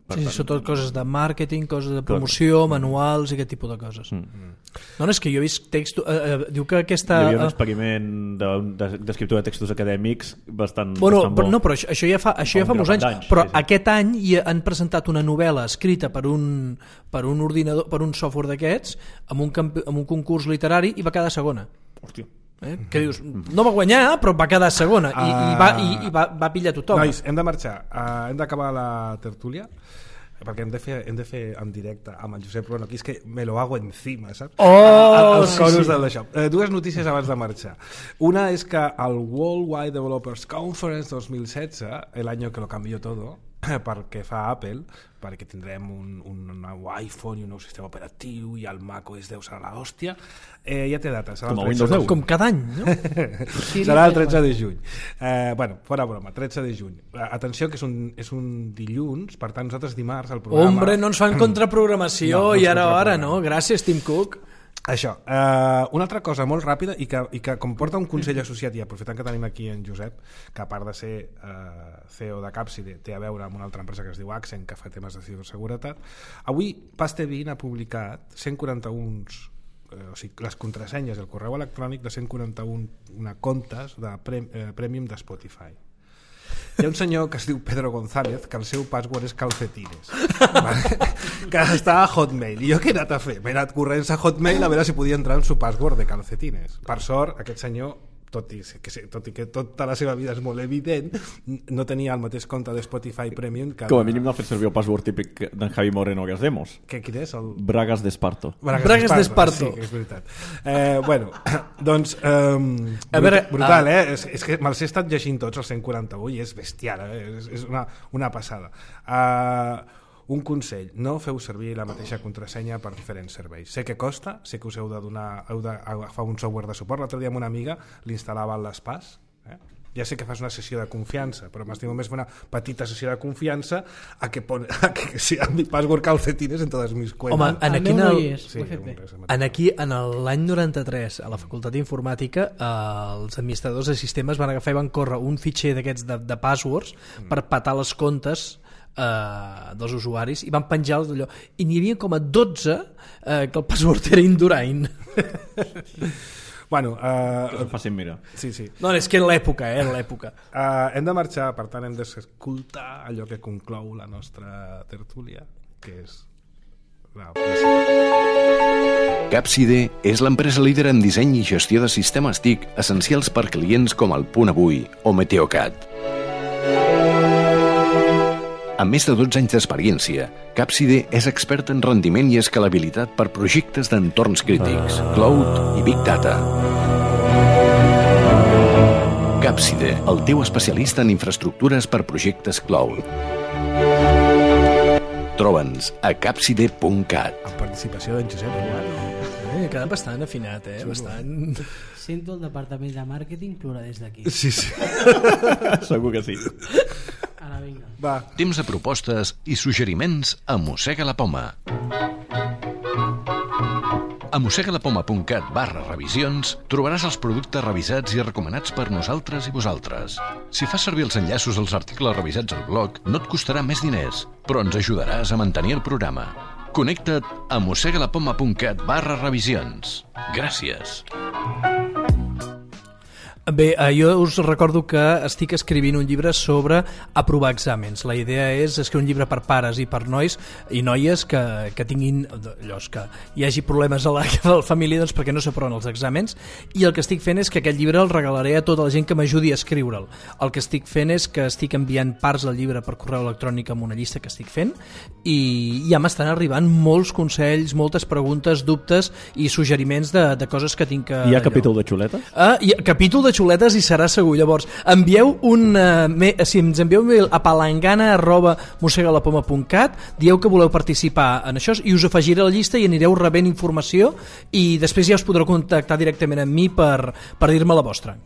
[SPEAKER 3] Per
[SPEAKER 2] Sí, sí,
[SPEAKER 3] tant,
[SPEAKER 2] sobretot coses de màrqueting, coses de promoció, manuals i aquest tipus de coses.
[SPEAKER 3] Mm.
[SPEAKER 2] No, no, és que jo he vist text... Eh, eh, diu que aquesta...
[SPEAKER 3] Hi havia un
[SPEAKER 2] eh,
[SPEAKER 3] experiment de- de- d'escriptura de textos acadèmics bastant...
[SPEAKER 2] Bueno,
[SPEAKER 3] bastant
[SPEAKER 2] però,
[SPEAKER 3] bo.
[SPEAKER 2] no, però això, això ja fa, això ja
[SPEAKER 3] Fa
[SPEAKER 2] fa
[SPEAKER 3] un
[SPEAKER 2] molts
[SPEAKER 3] grapat
[SPEAKER 2] anys,
[SPEAKER 3] d'anys,
[SPEAKER 2] però
[SPEAKER 3] sí, sí.
[SPEAKER 2] aquest any hi han presentat una novel·la escrita per un, per un ordinador, per un software d'aquests, amb, un camp, amb un concurs literari i va quedar segona.
[SPEAKER 3] Hòstia.
[SPEAKER 2] Eh? Que dius, no va guanyar, però va quedar segona i, i, va, i, i va, va pillar tothom.
[SPEAKER 1] Nois, hem de marxar. Uh, hem d'acabar la tertúlia perquè hem de fer, hem de fer en directe amb el Josep Ruano, aquí és que me lo hago encima, saps?
[SPEAKER 2] Oh,
[SPEAKER 1] a, a, els
[SPEAKER 2] sí,
[SPEAKER 1] coros
[SPEAKER 2] sí.
[SPEAKER 1] del d'això. Eh, dues notícies abans de marxar. Una és que el Worldwide Developers Conference dos mil setze, el año que lo cambió todo, perquè fa Apple, perquè tindrem un, un nou iPhone i un nou sistema operatiu i el macOS deu serà l'hòstia, eh, ja té data, serà
[SPEAKER 3] Com
[SPEAKER 1] el
[SPEAKER 3] el
[SPEAKER 1] tretze
[SPEAKER 3] Windows
[SPEAKER 1] de
[SPEAKER 3] deu.
[SPEAKER 1] juny.
[SPEAKER 2] Com cada any, no?
[SPEAKER 1] Serà el tretze de juny. Eh, bueno, fora broma, tretze de juny. Eh, atenció, que és un, és un dilluns, per tant nosaltres dimarts el programa...
[SPEAKER 2] Hombre, no ens fan contraprogramació
[SPEAKER 1] No, no ens
[SPEAKER 2] i ara, ara,
[SPEAKER 1] contraprogramem.
[SPEAKER 2] no? Gràcies, Tim Cook.
[SPEAKER 1] Això, eh, una altra cosa molt ràpida i que, i que comporta un consell associat, i aprofitant que tenim aquí en Josep, que a part de ser eh, C E O de Capside té a veure amb una altra empresa que es diu Accent, que fa temes de ciberseguretat. Avui Pastebin ha publicat cent quaranta-un eh, o sigui, les contrasenyes del correu electrònic de cent quaranta-un una comptes de pre, eh, Premium de Spotify. Hi ha un senyor que es diu Pedro González, que el seu password és calcetines, vale? Que està a Hotmail. I jo què he anat a fer? M'he anat corrents a Hotmail a veure si podia entrar en su password de calcetines. Per sort, aquest senyor tot i, que, tot i que tota la seva vida és molt evident, no tenia el mateix compte de Spotify Premium que...
[SPEAKER 3] Com a mínim no ha fet servir el password típic d'en Javi Moreno que els demos.
[SPEAKER 1] Que quin és? El...
[SPEAKER 3] Bragas d'Esparto.
[SPEAKER 1] Bragas,
[SPEAKER 2] Bragas
[SPEAKER 1] d'Esparto.
[SPEAKER 2] d'Esparto.
[SPEAKER 1] Sí, és veritat. Eh, bueno, doncs... Eh,
[SPEAKER 2] a veure,
[SPEAKER 1] brutal,
[SPEAKER 2] uh...
[SPEAKER 1] eh? És, és que me'ls he estat llegint tots els cent quaranta-un i és bestial, eh? És, és una, una passada. Eh... Un consell, no feu servir la mateixa contrasenya per diferents serveis. Sé que costa, sé que us heu de donar, heu d'agafar un software de suport. L'altre dia amb una amiga l'instal·lava a l'Espàs. Eh? Ja sé que fas una sessió de confiança, però m'estimo més fer una petita sessió de confiança a que, pon, a que si a mi password calcetines en totes mis cuentas.
[SPEAKER 2] Home, en aquí, en,
[SPEAKER 5] no
[SPEAKER 2] el,
[SPEAKER 5] és,
[SPEAKER 1] sí,
[SPEAKER 2] en aquí, en l'any noranta-tres, a la Facultat d'Informàtica, eh, els administradors de sistemes van agafar i van córrer un fitxer d'aquests de, de passwords mm. per patar les comptes Uh, dels usuaris i van penjar d'allò i n'hi havia com a dotze uh, que el password era Indurain.
[SPEAKER 1] Bueno, uh,
[SPEAKER 3] que fàcil mirar.
[SPEAKER 1] Sí, sí.
[SPEAKER 2] No, és que en l'època, eh, en l'època.
[SPEAKER 1] Uh, hem de marxar, per tant hem d'escoltar allò que conclou la nostra tertúlia, que és la...
[SPEAKER 4] Capside és l'empresa líder en disseny i gestió de sistemes T I C essencials per clients com el Punt Avui o Meteocat. Amb més de dotze anys d'experiència, Capside és expert en rendiment i escalabilitat per projectes d'entorns crítics, cloud i big data. Capside, el teu especialista en infraestructures per projectes cloud. Troba'ns a capside punt cat.
[SPEAKER 1] Amb participació d'en Josep Ruano.
[SPEAKER 2] Eh, queda bastant afinat, eh? Bastant...
[SPEAKER 5] Sento el departament de màrqueting plorar des d'aquí.
[SPEAKER 1] Sí, sí.
[SPEAKER 3] Segur que sí.
[SPEAKER 5] Ara vinga.
[SPEAKER 1] Va.
[SPEAKER 4] Temps de propostes i suggeriments a Mossega la Poma. A mossegalapoma punt cat barra revisions trobaràs els productes revisats i recomanats per nosaltres i vosaltres. Si fas servir els enllaços als articles revisats al blog, no et costarà més diners, però ens ajudaràs a mantenir el programa. Connecta't a mossegalapoma punt cat barra revisions. Gràcies.
[SPEAKER 2] Bé, eh, jo us recordo que estic escrivint un llibre sobre aprovar exàmens. La idea és escriure un llibre per pares i per nois i noies que, que tinguin allò, que hi hagi problemes a la, a la família doncs, perquè no s'aproven els exàmens, i el que estic fent és que aquest llibre el regalaré a tota la gent que m'ajudi a escriure'l. El que estic fent és que estic enviant parts del llibre per correu electrònic amb una llista que estic fent i ja m'estan arribant molts consells, moltes preguntes, dubtes i suggeriments de, de coses que tinc que...
[SPEAKER 3] Hi ha capítol de xuletes?
[SPEAKER 2] Ah, hi ha capítol de xuletes i serà segur. Llavors, envieu un uh, me, si ens envieu un mail a palangana arroba mossegalapoma punt cat, dieu que voleu participar en això i us afegiré a la llista i anireu rebent informació i després ja us podreu contactar directament amb mi per, per dir-me la vostra.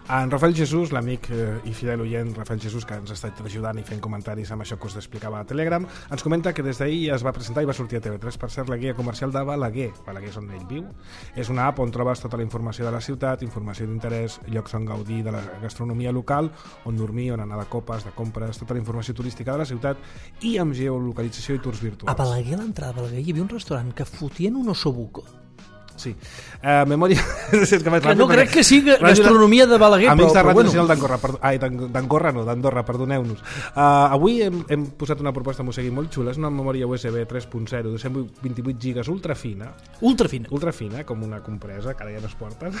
[SPEAKER 1] En Rafael Jesús, l'amic eh, i fidel oient Rafael Jesús, que ens ha estat ajudant i fent comentaris amb això que us explicava a Telegram, ens comenta que des d'ahir ja es va presentar i va sortir a T V tres, per cert, la guia comercial de Balaguer. Balaguer és on ell viu. És una app on trobes tota la informació de la ciutat, informació d'interès, llocs on gaudir de la gastronomia local, on dormir, on anar de copes, de compres, tota la informació turística de la ciutat i amb geolocalització i tours virtuals.
[SPEAKER 2] A Balaguer, a l'entrada de Balaguer, hi havia un restaurant que fotien un ossobuco.
[SPEAKER 1] Sí. Uh, memòria... és que
[SPEAKER 2] que no crec que sigui gastronomia de Balaguer,
[SPEAKER 1] amics
[SPEAKER 2] però,
[SPEAKER 1] de Ràdio
[SPEAKER 2] però
[SPEAKER 1] Nacional
[SPEAKER 2] bueno.
[SPEAKER 1] d'Andorra, perdó, ai, d'Andorra no, d'Andorra, perdoneu-nos. Uh, avui hem, hem posat una proposta a Mossegui molt xula, és una memòria U S B tres punt zero de cent vint-i-vuit gigas ultra fina.
[SPEAKER 2] Ultra fina.
[SPEAKER 1] Ultra fina, com una compresa, que ara ja no es porten.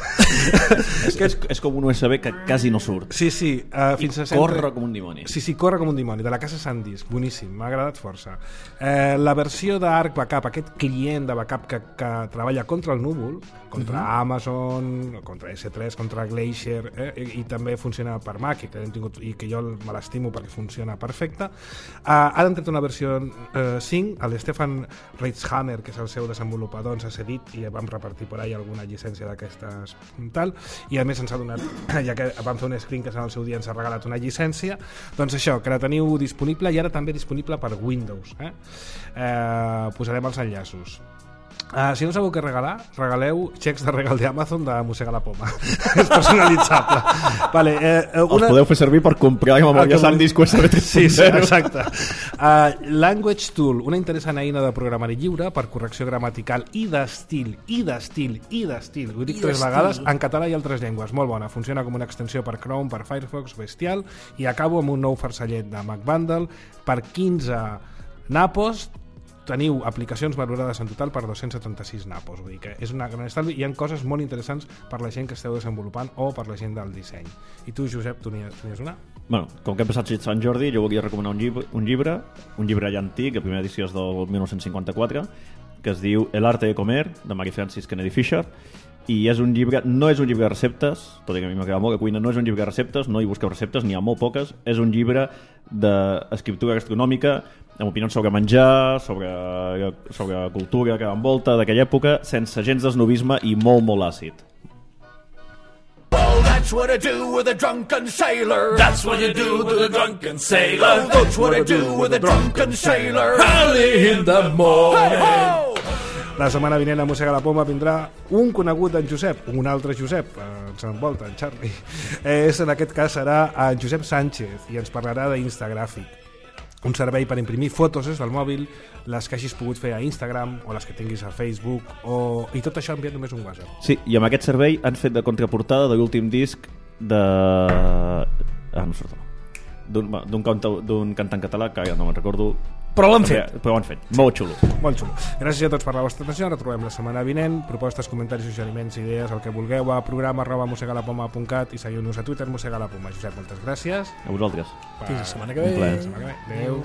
[SPEAKER 3] és, és, és com un U S B que quasi no surt.
[SPEAKER 1] Sí, sí. Uh, fins a
[SPEAKER 3] corre
[SPEAKER 1] sempre...
[SPEAKER 3] com un dimoni.
[SPEAKER 1] Sí, sí, corre com un dimoni, de la casa SanDisk, boníssim, m'ha agradat força. Uh, la versió d'Arc Backup, aquest client de backup que, que treballa contra el núvol, contra uh-huh. Amazon, contra S tres, contra Glacier, eh? I, i també funciona per Mac, i que, hem tingut, i que jo me l'estimo perquè funciona perfecte. Uh, han tret una versió uh, cinc, l'Stefan Reitzhammer, que és el seu desenvolupador, ens ha cedit i vam repartir per ahí alguna llicència d'aquestes tal, i a més ens ha donat, ja que vam fer un screen que en el seu dia ens ha regalat una llicència, doncs això, que la teniu disponible i ara també disponible per Windows. Eh? Uh, posarem els enllaços. Uh, si no sabeu què regalar, regaleu xecs de regal d'Amazon de Mossega la Poma. És personalitzable. Vale, eh, una...
[SPEAKER 3] Els podeu fer servir per comprar la memòria SanDisk U S B tres punt zero.
[SPEAKER 1] Sí, sí, exacte. Uh, Language Tool, una interessant eina de programari lliure per correcció gramatical i d'estil, i d'estil, i d'estil. Ho dic tres vegades, en català i altres llengües. Molt bona, funciona com una extensió per Chrome, per Firefox, bestial, i acabo amb un nou farcellet de MacBundle per quinze napos, teniu aplicacions valorades en total per dos-cents setanta-sis napos, vull dir que és una gran estalvi. Hi ha coses molt interessants per la gent que esteu desenvolupant o per la gent del disseny. I tu, Josep, tu n'hi has una?
[SPEAKER 3] Bueno, com que hem passat Sant Jordi, jo volia recomanar un llibre, un llibre, un llibre ja antic, la primera edició és del dinou cinquanta-quatre, que es diu El arte de comer, de Mary Frances Kennedy Fisher, i és un llibre, no és un llibre de receptes, tot i que a mi m'agrada molt la cuina, no és un llibre de receptes, no hi busqueu receptes, n'hi ha molt poques, és un llibre d'escriptura gastronòmica, amb opinions sobre menjar, sobre, sobre la cultura que envolta d'aquella època, sense gens d'esnovisme i molt, molt àcid.
[SPEAKER 6] Well, that's what I do with a drunken sailor. That's what you do with a drunken sailor. That's what I do with a drunken sailor. Early in the morning. Hey-ho!
[SPEAKER 1] La setmana vinent a Mossega la Poma vindrà un conegut d'en Josep, un altre Josep, eh, ens envolta, en Charlie. És, en aquest cas serà en Josep Sánchez i ens parlarà d'Instagràfic, un servei per imprimir fotos des del mòbil, les que hagis pogut fer a Instagram o les que tinguis a Facebook, o... i tot això enviat només un WhatsApp.
[SPEAKER 3] Sí, i amb aquest servei han fet de contraportada de l'últim disc de... Ah, no surt. D'un cantant català que ja no me'n recordo.
[SPEAKER 2] Però l'han fet.
[SPEAKER 3] Però ho han fet. Molt xulo.
[SPEAKER 1] Molt xulo. Gràcies a tots per la vostra atenció. Ens retrobem la setmana vinent. Propostes, comentaris, suggeriments, idees, el que vulgueu a programa arroba mossegalapoma punt cat i seguiu-nos a Twitter, Mossega la Poma. Josep, moltes gràcies.
[SPEAKER 3] A vosaltres.
[SPEAKER 2] Fins la setmana que ve.
[SPEAKER 3] Un plaer.
[SPEAKER 1] La setmana que ve. Adéu.